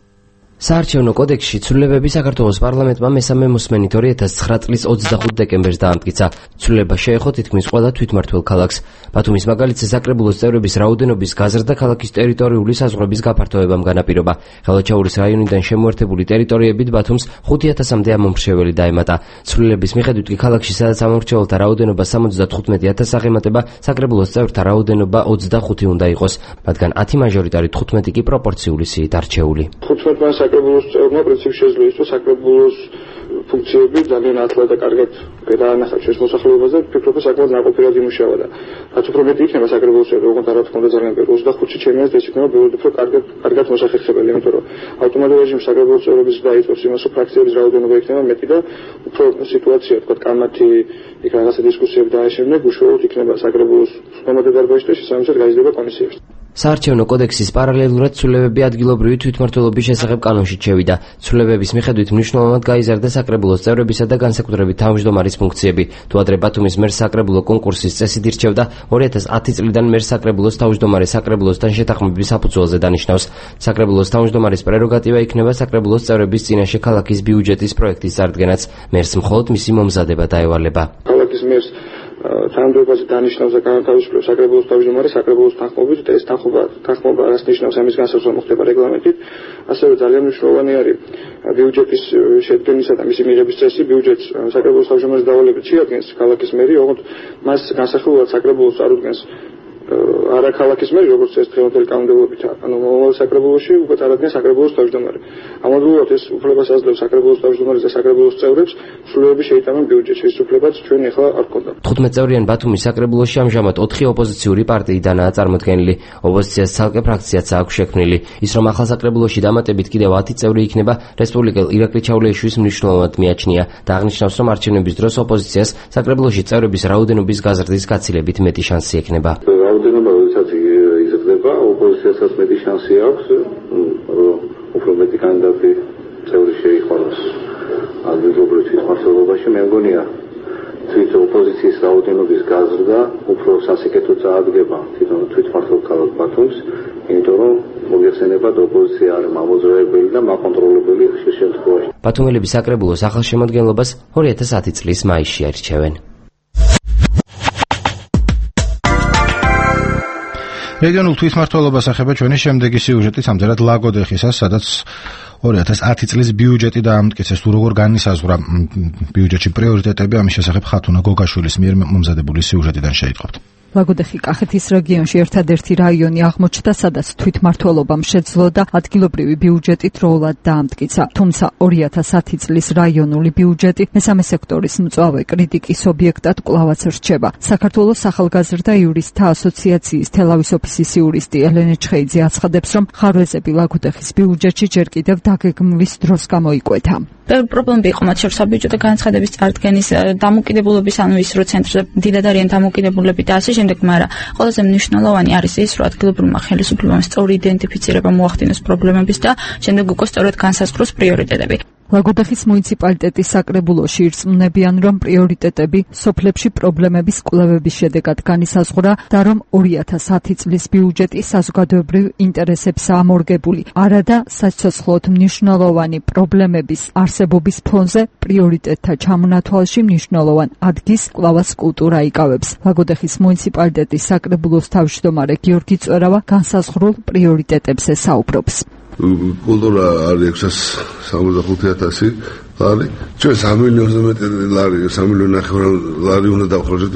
საარჩევნო კოდექსში ცვლილებები საქართველოს პარლამენტმა მესამე მოსმენით 2009 წლის 25 დეკემბერს დაამტკიცა. ცვლილება შეეხო თითქმის ყველა თვითმმართველ ქალაქს. ბათუმის მაგალითზე საკრებულოს წევრების რაოდენობის გაზრდა ქალაქის ტერიტორიული საზღვრების გაფართოებამ განაპირობა. ხელვაჩაურის რაიონიდან შემოერთებული ტერიტორიებით ბათუმს 5000-მდე ამომრჩეველი დაემატა. ცვლილების მიხედვით კი ქალაქში, სადაც ამომრჩეველთა რაოდენობა 75000 აღემატება, საკრებულოს წევრთა რაოდენობა 25 უნდა იყოს, მათგან 10 მაჟორიტარი, 15 კი პროპორციული სიით არჩეული. საკრებულოს წევრმა პრინციპში შეძლო ის, რომ საკრებულოს ფუნქციები ძალიან ათლად და კარგად გადაანახა ჩვენს მოსახლეობას და ვფიქრობ, რომ საკმაოდ ნაყოფიერად იმუშავა და რაც უფრო მეტი იქნება საკრებულოს წევრი, ოღონდ რა თქმა უნდა ძალიან ბევრი 25-ში ჩემს ეს იქნება ბევრად უფრო კარგად მოსახერხებელი, იმიტომ რომ ავტომატურ რეჟიმში საკრებულოს წევრების დაიწყოს იმას, რომ ფრაქციების რაოდენობა იქნება მეტი და უფრო სიტუაცია, თქვა კამათი, იქ რაღაცა დისკუსიები დააშენებენ, უშუალოდ იქნება საკრებულოს მომდევნო დარბაზში და შესაბამისად გაიზრდება კომისიებში. საარჩევნო კოდექსის პარალელურად ცვლილებები ადგილობრივი თვითმმართველობის შესახებ კანონში შევიდა. ცვლილებების მიხედვით მნიშვნელოვნად გაიზარდა საკრებულოს წევრებისა და განსაკუთრებით თავმჯდომარის ფუნქციები. თუ ადრე ბათუმის მერს საკრებულო კონკურსის წესით ირჩევდა, 2010 წლიდან მერს საკრებულოს თავმჯდომარე საკრებულოსთან შეთანხმების საფუძველზე დანიშნავს. საკრებულოს თავმჯდომარის პრეროგატივა იქნება საკრებულოს წევრების წინაშე ქალაქის ბიუჯეტის პროექტის წარდგენაც. მერს მხოლოდ მისი მომზადება დაევალება. ქალაქის მერს თანამდებობაზე დანიშნავს და განთავისუფლებს საკრებულოს თავმჯდომარე საკრებულოს თანხმობით და ეს თანხმობა რას ნიშნავს, ამის განსაზღვრა მოხდება რეგლამენტით. ასევე ძალიან მნიშვნელოვანი არის ბიუჯეტის შედგენისა და მისი მიღების წესი. ბიუჯეტს საკრებულოს თავმჯდომარის დავალებით შეადგენს ქალაქის მერი, ოღონდ მას განსახილველად საკრებულოს წარუდგენს არა ქალაქის მერი, როგორც ეს დღევანდელი კანონმდებლობით, ანუ მომავალ საკრებულოში უკვე წარადგენს საკრებულოს თავმჯდომარე. ამავდროულად ეს უფლებას აძლევს საკრებულოს თავმჯდომარეს და საკრებულოს წევრებს ცვლილებები შეიტანონ ბიუჯეტში, ეს უფლებაც ჩვენ ახლა არ გქონდა. 15 წევრიან ბათუმის საკრებულოში ამჟამად 4 ოპოზიციური პარტიიდანაა წარმოდგენილი. ოპოზიციას ცალკე ფრაქციაც აქვს შექმნილი. ის რომ ახალ საკრებულოში დამატებით კიდევ 10 წევრი იქნება, რესპუბლიკელ ირაკლი ჩავლეიშვილის მნიშვნელოვნად მიაჩნია და აღნიშნავს, რომ არჩევნების დროს ოპოზიციას საკრებულოში წევრების რაოდენობის გაზრდის გაცილებით მეტი შანსი ექნება. რაოდენობა როდესაც იზრდება, ოპოზიციასაც მეტი შანსი აქვს, რომ უფრო მეტი კანდიდატი წევრი შეიყვანოს ადგილობრივ თვითმმართველობაში. მე მგონია თვით ოპოზიციის რაოდენობის გაზრდა უფრო სასიკეთო წაადგება თვითონ თვითმმართველ ქალაქ ბათუმს, იმიტომ რომ მოგეხსენებათ ოპოზიცია არის მამოძრავებელი და მაკონტროლებელი ხშირ შემთხვევაში. ბათუმელების საკრებულოს ახალ შემადგენლობას 2010 წლის მაისში აირჩევენ. რეგიონულ თვითმმართველობას ეხება ჩვენი შემდეგი სიუჟეტი სამძერად ლაგოდეხისას, სადაც 2010 წლის ბიუჯეტი დაამტკიცეს. თუ როგორ განისაზღვრა ბიუჯეტში პრიორიტეტები, ამის შესახებ ხათუნა გოგაშვილის მიერ მომზადებული სიუჟეტიდან შეიტყობთ. ლაგოდეხი კახეთის რეგიონში ერთადერთი რაიონი აღმოჩნდა, სადაც თვითმმართველობამ შეძლო და ადგილობრივი ბიუჯეტი დროულად დაამტკიცა. თუმცა 2010 წლის რაიონული ბიუჯეტი მესამე სექტორის მწვავე კრიტიკის ობიექტად კვლავაც რჩება. საქართველოს ახალგაზრდა იურისტთა ასოციაციის თელავის ოფისის იურისტი ელენე ჩხეიძე აცხადებს, რომ ხარვეზები ლაგოდეხის ბიუჯეტში ჯერ კიდევ დაგეგმვის დროს გამოიკვეთა. პრობლემები იყო მათ შორის საბიუჯეტო განცხადების წარდგენის დამოკიდებულების, ანუ ის რო ცენტრზე დიდად არიან დამოკიდებულები და ასე შემდეგ, მაგრამ ყველაზე მნიშვნელოვანი არის ის, რომ ადგილობრივმა ხელისუფლებამ სწორი იდენტიფიცირება მოახდინოს პრობლემების და შემდეგ უკვე სწორად განსაზღვროს პრიორიტეტები. ლაგოდეხის მუნიციპალიტეტის საკრებულოში ირწმუნებიან, რომ პრიორიტეტები სოფლებში პრობლემების კვლევების შედეგად განისაზღვრა და რომ 2010 წლის ბიუჯეტი საზოგადოებრივ ინტერესებსაა მორგებული, არადა საცოცხლოდ მნიშვნელოვანი პრობლემების არსებობის ფონზე პრიორიტეტთა ჩამონათვალში მნიშვნელოვან ადგილს კვლავაც კულტურა იკავებს. ლაგოდეხის მუნიციპალიტეტის საკრებულოს თავმჯდომარე გიორგი წვერავა განსაზღვრულ პრიორიტეტებზე საუბრობს. კულტურა არის 665,000 ლარი. ჩვენ 3 მილიონზე მეტი ლარი, 3 მილიონი ნახევარი ლარი უნდა დავხარჯოთ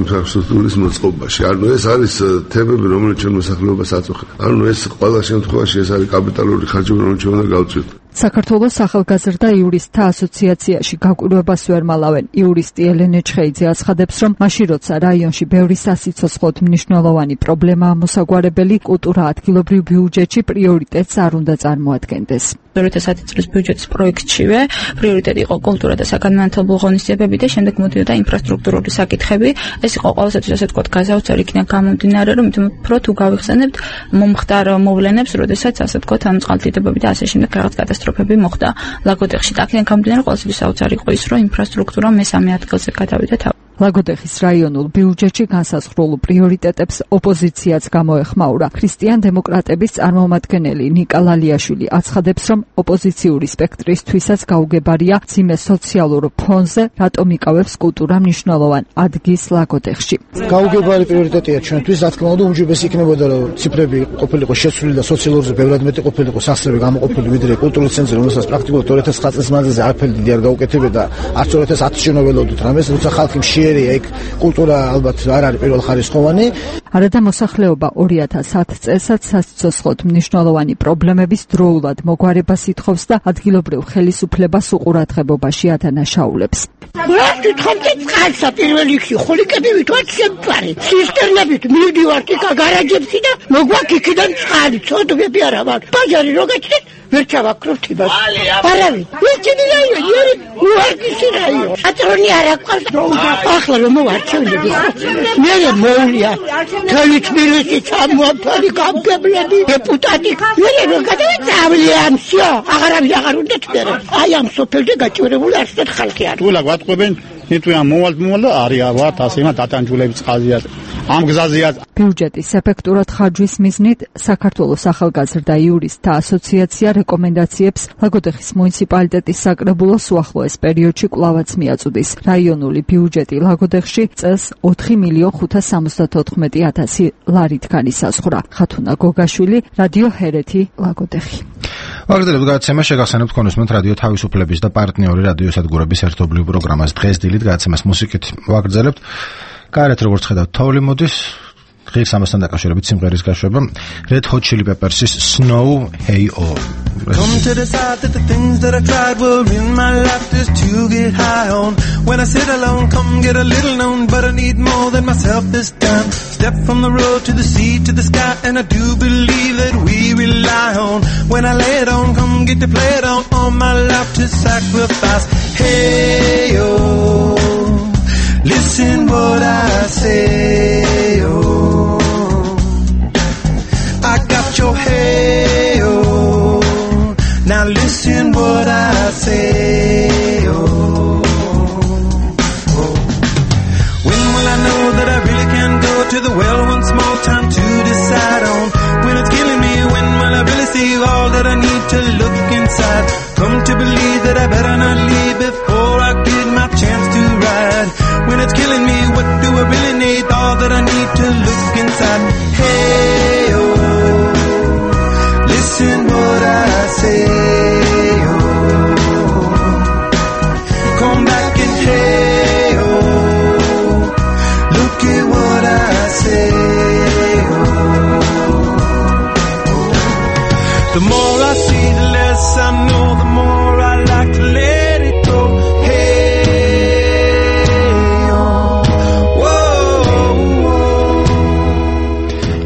ინფრასტრუქტურის მოწყობაში. ანუ ეს არის თემები, რომელიც ჩვენ მოსახლეობას აწუხებს. ანუ ეს ყველა შემთხვევაში ეს არის კაპიტალური ხარჯები, რომელიც ჩვენ უნდა გავწვით. საქართველოს ახალგაზრდა იურისტთა ასოციაციაში გაკვირვებას ვერ მალავენ. იურისტი ელენე ჩხეიძე აცხადებს, რომ მაშინ როცა რაიონში ბევრი სასიცოცხლოდ მნიშვნელოვანი პრობლემაა მოსაგვარებელი, კულტურა ადგილობრივ ბიუჯეტში პრიორიტეტს არ უნდა წარმოადგენდეს. 2010 წლის ბიუჯეტის პროექტშივე პრიორიტეტი იყო კულტურა და საგანმანათლებლო ღონისძიებები და შემდეგ მოდიოდა ინფრასტრუქტურული საკითხები. ეს იყო ყოველთვის ასე ვთქვათ გაზავცარი იქიდან გამომდინარე, რომ უფრო თუ გავიხსენებთ მომხდარ მოვლენებს, როდესაც ასე ვთქვათ ამ წყალდიდობები და ასე შემდეგ რაღაც კატასტროფები მოხდა ლაგოდეხში. და აქედან გამომდინარე ყოველთვის საოცარი იყო ის, რომ ინფრასტრუქტურა მესამე ადგილზე გადავიდა თავი. ლაგოდეხის რაიონულ ბიუჯეტში განსაზღვრულ პრიორიტეტებს ოპოზიციაც გამოეხმაურა. ქრისტიან-დემოკრატების წარმომადგენელი ნიკა ლალიაშვილი აცხადებს, რომ ოპოზიციური სპექტრისთვისაც გაუგებარია მძიმე სოციალურ ფონზე, რატომ იკავებს კულტურა მნიშვნელოვან ადგილს ლაგოდეხში. გაუგებარი პრიორიტეტია ჩვენთვის, რა თქმა უნდა, უმჯობესი იქნებოდა, რომ ციფრები ყოფილიყო შეცვლილი და სოციალურზე ბევრად მეტი ყოფილიყო სახსრები გამოყოფილი, ვიდრე კულტურის ცენტრი, რომელსაც პრაქტიკულად 2009 წლის მანძილზე არაფერი დიდი არ გაუკეთებდა, არც 2010-ში ნოველოდოთ რამეს, როცა ხალხი ეგ კულტურა ალბათ არ არის პირველხარისხოვანი. არადა მოსახლეობა 2010 წელსაც სასიცოცხლოდ მნიშვნელოვანი პრობლემების დროულად მოგვარებას ითხოვს და ადგილობრივ ხელისუფლებას უყურადღებობაში ადანაშაულებს. რა თვითონაც წყალსა პირველ რიგში ხოლიკები ვითვართ შემწარი. ცისტერნებით მივდივართ იქ გარაჯებში და მოგვაქვს იქიდან წყალი, ცოდვები არა მაქვს. ბაჟარი რო გაჩნდეთ ვერ ჩავაქრობთ იმას. არავინ. ვიჩინი რაიონი, უარგისი რაიონი. ატრონი არ აქვს. ახლა რომ მოვარჩევნები ხო? მე მოვლია. თელი თბილისი ჩამოაფარი გამგებლები, დეპუტატი. მე რომ გადავიწავლე ამსო, აღარ უნდა თბერე. აი ამ სოფელზე გაჭირებული არსად ხალხი არის. თულა გვატყობენ ნიტუა მოვალ არია ვართ ასე მათ დატანჯულების ყაზია ამ გზაზეა. ბიუჯეტის ეფექტურად ხარჯვის მიზნით საქართველოს ახალგაზრდა იურისტთა ასოციაცია რეკომენდაციებს ლაგოდეხის მუნიციპალიტეტის საკრებულოს უახლოეს პერიოდში კვლავაც მიაწვდის. რაიონული ბიუჯეტი ლაგოდეხში წელს 4,574,000 ლარით განისაზღვრა. ხათუნა გოგაშვილი, რადიო ჰერეთი, ლაგოდეხი. ვაგრძელებთ გადაცემა, შეგახსენებთ კონსუმენტ რადიო თავისუფლების და პარტნიორი რადიოსადგურების ერთობლივ პროგრამას. დღეს დილით გადაცემას მუსიკით ვაგრძელებთ. გარეთ როგორც ხედავთ, თოვლი მოდის. ღირს ამასთან დაკავშირებით სიმღერის გაშვება Red Hot Chili Peppers's Snow Hey Oh. Come to decide that the things that I tried were in my life just to get high on. When I sit alone, come get a little known, but I need more than myself this time. Step from the road to the sea to the sky, and I do believe that we rely on. When I lay it on, come get to play it on, all my life to sacrifice. Hey oh, listen what I say oh. I got your hey oh. Now listen what I say oh. When will I know that I really can go to the well once more? Time to decide on. When it's killing me, when will I really see all that I need to look inside? Come to believe that I better not leave before I get my chance to ride. When it's killing me, what do I really need? All that I need to look inside. Hey oh, listen what I say oh. Come back and hey oh, look at what I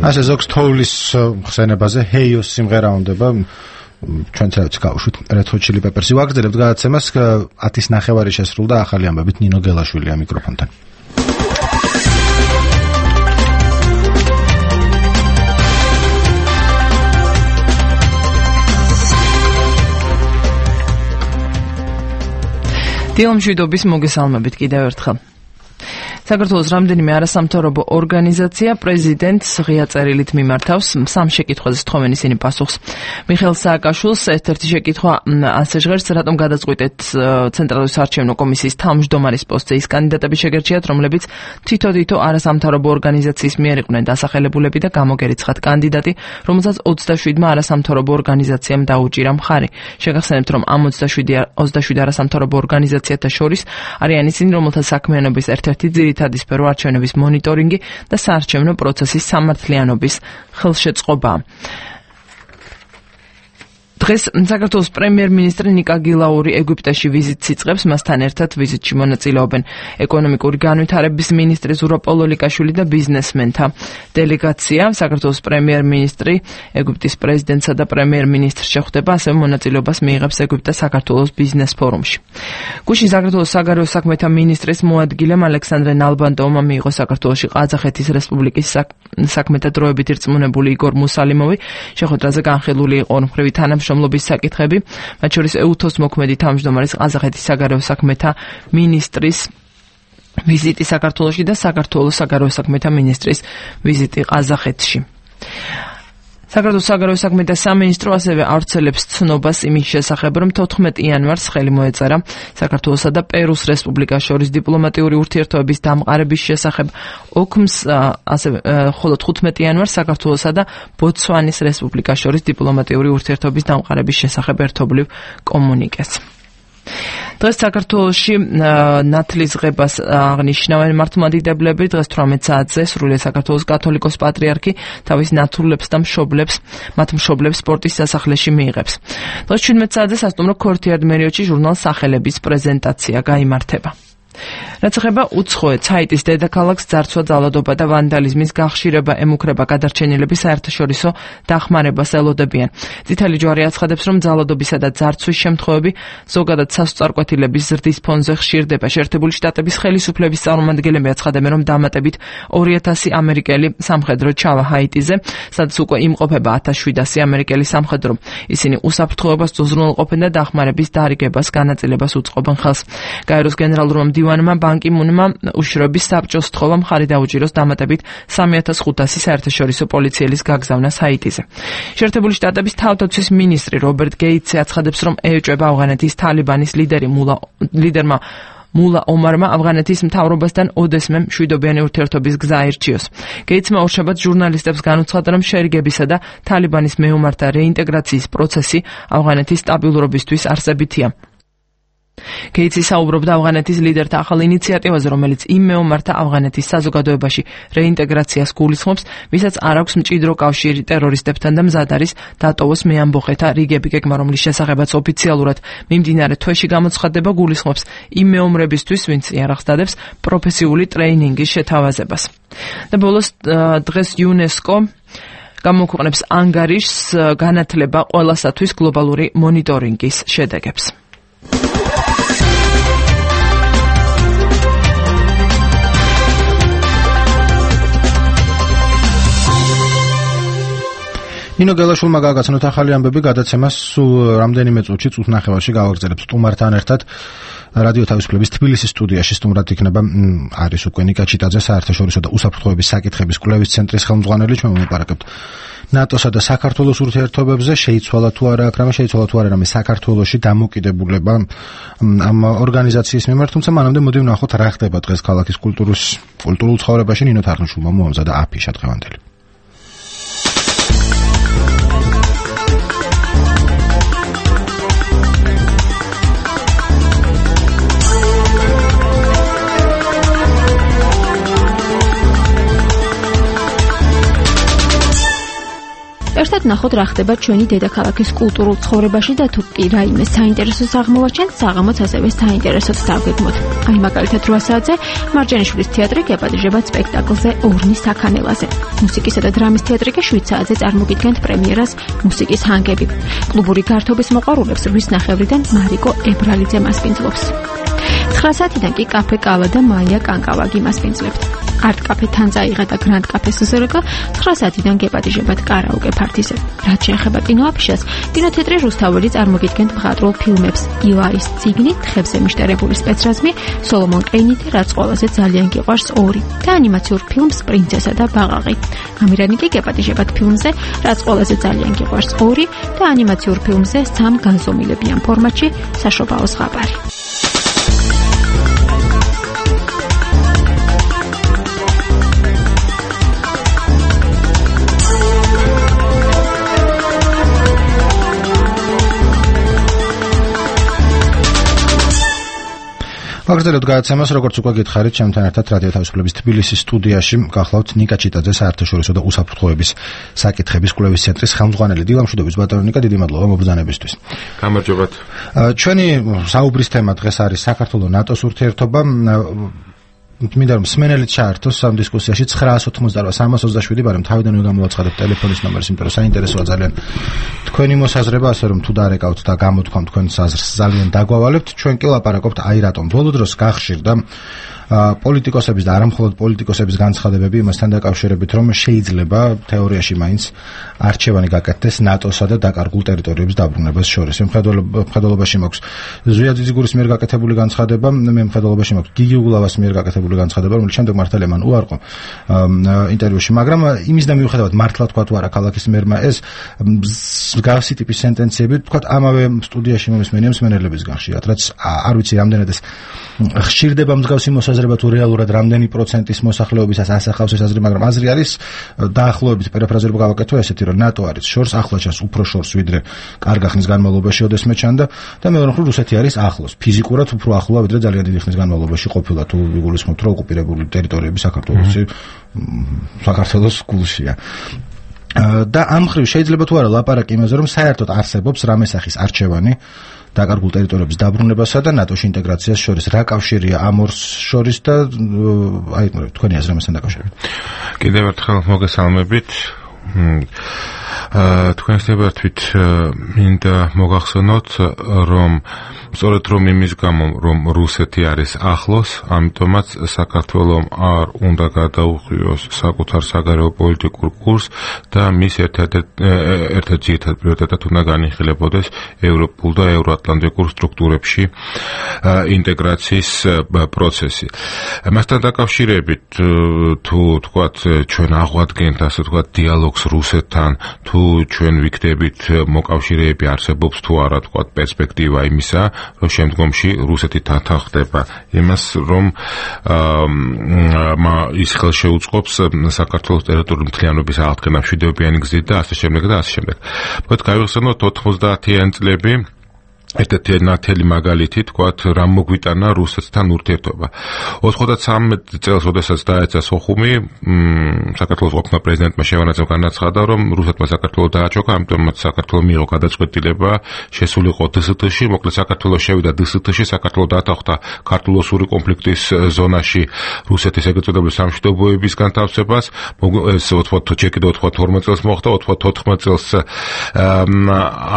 ასე ზოგს თოვლის ხსენებაზე ჰეიოს სიმღერა უნდება ჩვენ ცერებს გავუშვით Red Hot Chili Peppers-ი ვაგრძელებთ გადაცემას 10:30 შესრულდა ახალი ამბებით ნინო გელაშვილია მიკროფონთან დილმშვიდობის მოგესალმებით კიდევ ერთხელ. საქართველოს რამდენიმე არასამთავრობო ორგანიზაცია პრეზიდენტს ღია წერილით მიმართავს სამ შეკითხვაზე სთხოვენ ისინი პასუხს. მიხეილ სააკაშვილს ერთ-ერთი შეკითხვა ასე ჟღერს, რატომ გადაწყვიტეთ ცენტრალური საარჩევნო კომისიის თავმჯდომარის პოსტზე ის კანდიდატები შეგერჩიათ, რომლებიც თითო არასამთავრობო ორგანიზაციის მიერ იყვნენ დასახელებულები და გამოგერიცხათ კანდიდატი, რომელსაც 27-მა არასამთავრობო ორგანიზაციამ დაუჭირა მხარი. შეგახსენებთ, რომ ამ 27 არასამთავრობო ორგანიზაციათა შორის არიან ისინი, რომელთა საქმიანობის ერთ-ერთი ძირითადი სფერო არჩევნების მონიტორინგი და საარჩევნო პროცესის სამართლიანობის ხელშეწყობა. დღეს საქართველოს პრემიერ-მინისტრი ნიკა გილაური ეგვიპტეში ვიზიტს იწყებს, მასთან ერთად ვიზიტში მონაწილეობენ ეკონომიკური განვითარების მინისტრი ზურაბ პოლოლიკაშვილი და ბიზნესმენთა დელეგაცია. საქართველოს პრემიერ-მინისტრი ეგვიპტის პრეზიდენტსა და პრემიერ-მინისტრს შეხვდება, ასევე მონაწილეობას მიიღებს ეგვიპტე-საქართველოს ბიზნეს ფორუმში. გუშინ საქართველოს საგარეო საქმეთა მინისტრის მოადგილემ ალექსანდრე ნალბანდოვმა მიიღო საქართველოში ყაზახეთის რესპუბლიკის საქმეთა დროებით ირწმუნებული იგორ მუსალიმოვი. შეხვედრაზე განხილული იყო ორმხრივი თანამშრომლობის საკითხები, მათ შორის ეუთოს მოქმედი თავმჯდომარის ყაზახეთის საგარეო საქმეთა მინისტრის ვიზიტი საქართველოში და საქართველოს საგარეო საქმეთა მინისტრის ვიზიტი ყაზახეთში. საქართველოს საგარეო საქმეთა სამინისტრო ასევე ავრცელებს ცნობას იმის შესახებ, რომ 14 იანვარს ხელი მოეწერა საქართველოსა და პერუს რესპუბლიკას შორის დიპლომატიური ურთიერთობების დამყარების შესახებ ოქმს, ხოლო 15 იანვარს საქართველოსა და ბოტსვანის რესპუბლიკას შორის დიპლომატიური ურთიერთობების დამყარების შესახებ ერთობლივ კომუნიკეს. დღეს საქართველოში ნათლის ღებას აღნიშნავენ მართლმადიდებლები. დღეს 18 საათზე სრულიად საქართველოს კათოლიკოს პატრიარქი თავის ნათლულებს და მათ მშობლებს სპორტის სასახლეში მიიღებს. დღეს 17 საათზე სასტუმრო ქორთიარდ მერიოტში ჟურნალ სახელების პრეზენტაცია გაიმართება. რაც ეხება უცხოეთ საიტის დედაქალაქს ძარცვა, ძალადობა და ვანდალიზმის გახშირება ემუქრება გადარჩენილები საერთაშორისო დახმარებას ელოდებიან. წითელი ჯვარი აცხადებს, რომ ძალადობისა და ძარცვის შემთხვევები ზოგადად სასწარკვეთილების ზრდის ფონზე ხშირდება. შეერთებული შტატების ხელისუფლების წარმომადგენლები აცხადებენ, რომ დამატებით 2000 ამერიკელი სამხედრო ჩავა ჰაიტიზე, სადაც უკვე იმყოფება 1700 ამერიკელი სამხედრო. ისინი უსაფრთხოებას უზრუნველყოფენ და დახმარების დარიგებას განაწილებას უწყობენ ხელს. გაეროს გენერალურმა მდივანმა ბან კი მუნმა უშროების საბჭოს სთხოვა მხარი დაუჭიროს დამატებით 3500 საერთაშორისო პოლიციელის გაგზავნას ჰაიტიზე. შეერთებული შტატების თავდაცვის მინისტრი რობერტ გეიტსი აცხადებს, რომ ეჭვება ავღანეთის თალიბანის ლიდერმა მულა ომარმა ავღანეთის მთავრობასთან ოდესმე მშვიდობიანი ურთიერთობის გზა აირჩიოს. გეიტსმა ორშაბათს ჟურნალისტებს განუცხადა, რომ შერიგებისა და თალიბანის მეომართა რეინტეგრაციის პროცესი ავღანეთის სტაბილურობისთვის არსებითია. გეიტსი საუბრობდა ავღანეთის ლიდერთა ახალ ინიციატივაზე, რომელიც იმ მეომართა ავღანეთის საზოგადოებაში რეინტეგრაციას გულისხმობს, ვისაც არ აქვს მჭიდრო კავშირი ტერორისტებთან და მზად არის დატოვოს მეამბოხეთა რიგები. გეგმა, რომლის შესახებაც ოფიციალურად მიმდინარე თვეში გამოცხადდება, გულისხმობს იმ მეომრებისთვის, ვინც იარაღსდადებს პროფესიული ტრეინინგის შეთავაზებას. და ბოლოს დღეს იუნესკო გამოქვეყნებს ანგარიშს განათლება ყველასათვის გლობალური მონიტორინგის შედეგებს. ნინო გელაშვილმა გააგზავნოთ ახალი ამბები გადაცემას სულ რამდენიმე წუთში, წუთ ნახევარში გავაგრძელებს სტუმართან ერთად რადიო თავისუფლების თბილისის სტუდიაში. სტუმრად იქნება არის უკვე ნიკა ჩიტაძე, საერთაშორისო და უსაფრთხოების საკითხების კვლევის ცენტრის ხელმძღვანელი. ჩვენ მოვაპარაკებთ ნატოსა და საქართველოს ურთიერთობებზე. შეიცვალა თუ არა რამე საქართველოში დამოკიდებულება ამ ორგანიზაციის მიმართ, თუმცა მანამდე მოდი ვნახოთ რა ხდება დღეს ქალაქის კულტურულ ცხოვრებაში. ნინო თარხნიშვილმა მოამზადა აფიშა დღევანდელი. ერთად ნახოთ რა ხდება ჩვენი დედაქალაქის კულტურულ ცხოვრებაში და თუ კი რაიმე საინტერესოს აღმოვაჩენთ, საღამოც ასევე საინტერესოდ დავგეგმოთ. აი მაგალითად 8 საათზე მარჯანიშვილის თეატრი გეპატიჟებათ სპექტაკლზე ორნის საქანელაზე. მუსიკისა და დრამის თეატრი კი 7 საათზე წარმოგიდგენთ პრემიერას მუსიკის ჰანგები. კლუბური გართობის მოყვარულებს 8:30-დან მარიკო ებრალიძე მასპინძლობს. 9 საათიდან კი კაფე კავა და მაია კანკავაგი მასპინძლებთ. არტ კაფე თანძაიღა და გრანდ კაფე სუზერეკა 9 საათიდან გეპატიჟებათ კარაოკე ფართიზე. რაც შეეხება კინოაფიშას, კინოთეატრი რუსთაველი წარმოგიდგენთ მხატვრულ ფილმებს ილარის ციგნი, თხებზე მიშტერებული სპეცრაზმი, სოლომონ ყეინითი, რაც ყველაზე ძალიან გიყვარს 2 და ანიმაციურ ფილმს პრინცესა და ბაყაყი. ამირანი კი გეპატიჟებათ ფილმზე, რაც ყველაზე ძალიან გიყვარს 2 და ანიმაციურ ფილმზე 3 განზომილებიან ფორმატში საშობაო ზღაპარი. ვაგრძელებთ გადაცემას, როგორც უკვე გითხარით, ჩემთან ერთად რადიო თავისუფლების თბილისის სტუდიაში გახლავთ ნიკა ჩიტაძე, საერთაშორისო და უსაფრთხოების საკითხების კვლევის ცენტრის ხელმძღვანელი. დილამშვიდობის ბატონო ნიკა, დიდი მადლობა მობრძანებისთვის. გამარჯობათ. ჩვენი საუბრის თემა დღეს არის საქართველოს ნატოს ურთიერთობა. მინდა რომ მსმენელიც ჩაერთოს ამ დისკუსიაში 988-327, მაგრამ თავიდანვე გამოვაცხადებ ტელეფონის ნომერს, იმიტომ რომ საინტერესოა ძალიან თქვენი მოსაზრება, ასე რომ თუ დარეკავთ და გამოთქვამთ თქვენს აზრს, ძალიან დაგვავალებთ. ჩვენ კი ლაპარაკობთ აი რატომ ბოლო დროს გახშირდა პოლიტიკოსების და არამხოლოდ პოლიტიკოსების განცხადებები იმასთან დაკავშირებით, რომ შეიძლება თეორიაში მაინც არჩევანი გაკეთდეს ნატოსა და დაკარგულ ტერიტორიების დაბრუნებას შორის. მხედველობაში მაქვს ზვია ძიძიგურის მიერ გაკეთებული განცხადება, მე მხედველობაში მაქვს გიგი უგულავას მიერ გაკეთებული განცხადება, რომელიც შემდეგ მართალია მან უარყო ინტერვიუში, მაგრამ იმის და მიუხედავად მართლა თქვა თუ არა ქალაქის მერმა ეს მსგავსი ტიპის სენტენციები თქვა ამავე სტუდიაში მომისმენია მსმენელებისგან ხშირად, რაც არ ვიცი რამდენად ეს ხშირდება მსგავსი მოსაზრება თუ რეალურად რამდენი პროცენტის მოსახლეობისას ასახავს ეს აზრი, მაგრამ აზრი არის დაახლოებით პერაფრაზერებ გავაკეთო ესეთი, რომ ნატო არის შორს, ახლა ჩანს უფრო შორს ვიდრე კარგ ხნის განმავლობაში ოდესმე ჩანდა და მეორე მხრივ რუსეთი არის ახლოს, ფიზიკურად უფრო ახლოა ვიდრე ძალიან დიდი ხნის განმავლობაში ყოფილა, თუ იგულისხმობთ რომ ოკუპირებული ტერიტორიები საქართველოს გულშია. და ამ მხრივ შეიძლება თუ არა ლაპარაკი იმაზე, რომ საერთოდ არსებობს რამე სახის არჩევანი დაკარგულ ტერიტორიების დაბრუნებასა და ნატოში ინტეგრაციას შორის, რა კავშირია ამ ორს შორის და აი თქვენი აზრი ამასთან დაკავშირებით. კიდევ ერთხელ მოგესალმებით. თქვენს ნებართვით მინდა მოგახსენოთ, რომ სწორედ რომ იმის გამო, რომ რუსეთი არის ახლოს, ამიტომაც საქართველოს არ უნდა გადაუხვიოს საკუთარ საგარეო პოლიტიკურ კურსს და მის ერთ-ერთ ძირითად პრიორიტეტად უნდა განიხილებოდეს ევროპულ და ევროატლანტიკურ სტრუქტურებში ინტეგრაციის პროცესი. მასთან დაკავშირებით თუ თქვათ ჩვენ აღვადგენთ ასე თქვათ დიალოგს რუსეთთან, თუ ჩვენ ვიქნებით მოკავშირეები არსებობს თუ არა თქვათ პერსპექტივა იმისა, რომ შემდგომში რუსეთი თანხდება იმას, რომ ის ხელშეუწყობს საქართველოს ტერიტორიული მთლიანობის აღდგენა მშვიდობიანი გზით და ასე შემდეგ და ასე შემდეგ. მოდი გავიხსენოთ 90-იანი წლები. ერთ-ერთი ნათელი მაგალითი თქვათ რამ მოგვიტანა რუსეთთან ურთიერთობა. 93 წელს, როდესაც დაეცა სოხუმი, საქართველოს ყოფნა პრეზიდენტმა შევარდნაძემ განაცხადა, რომ რუსეთმა საქართველოს დააჩოქა, ამიტომაც საქართველოს მიიღო გადაწყვეტილება შესულიყო დსთ-ში, მოკლედ საქართველოს შევიდა დსთ-ში, საქართველოს დათანხმდა ქართულ-ოსური კონფლიქტის ზონაში რუსეთის ეგრეთ წოდებული სამშვიდობოების განთავსებას. ეს 92 წელს მოხდა, 94 წელს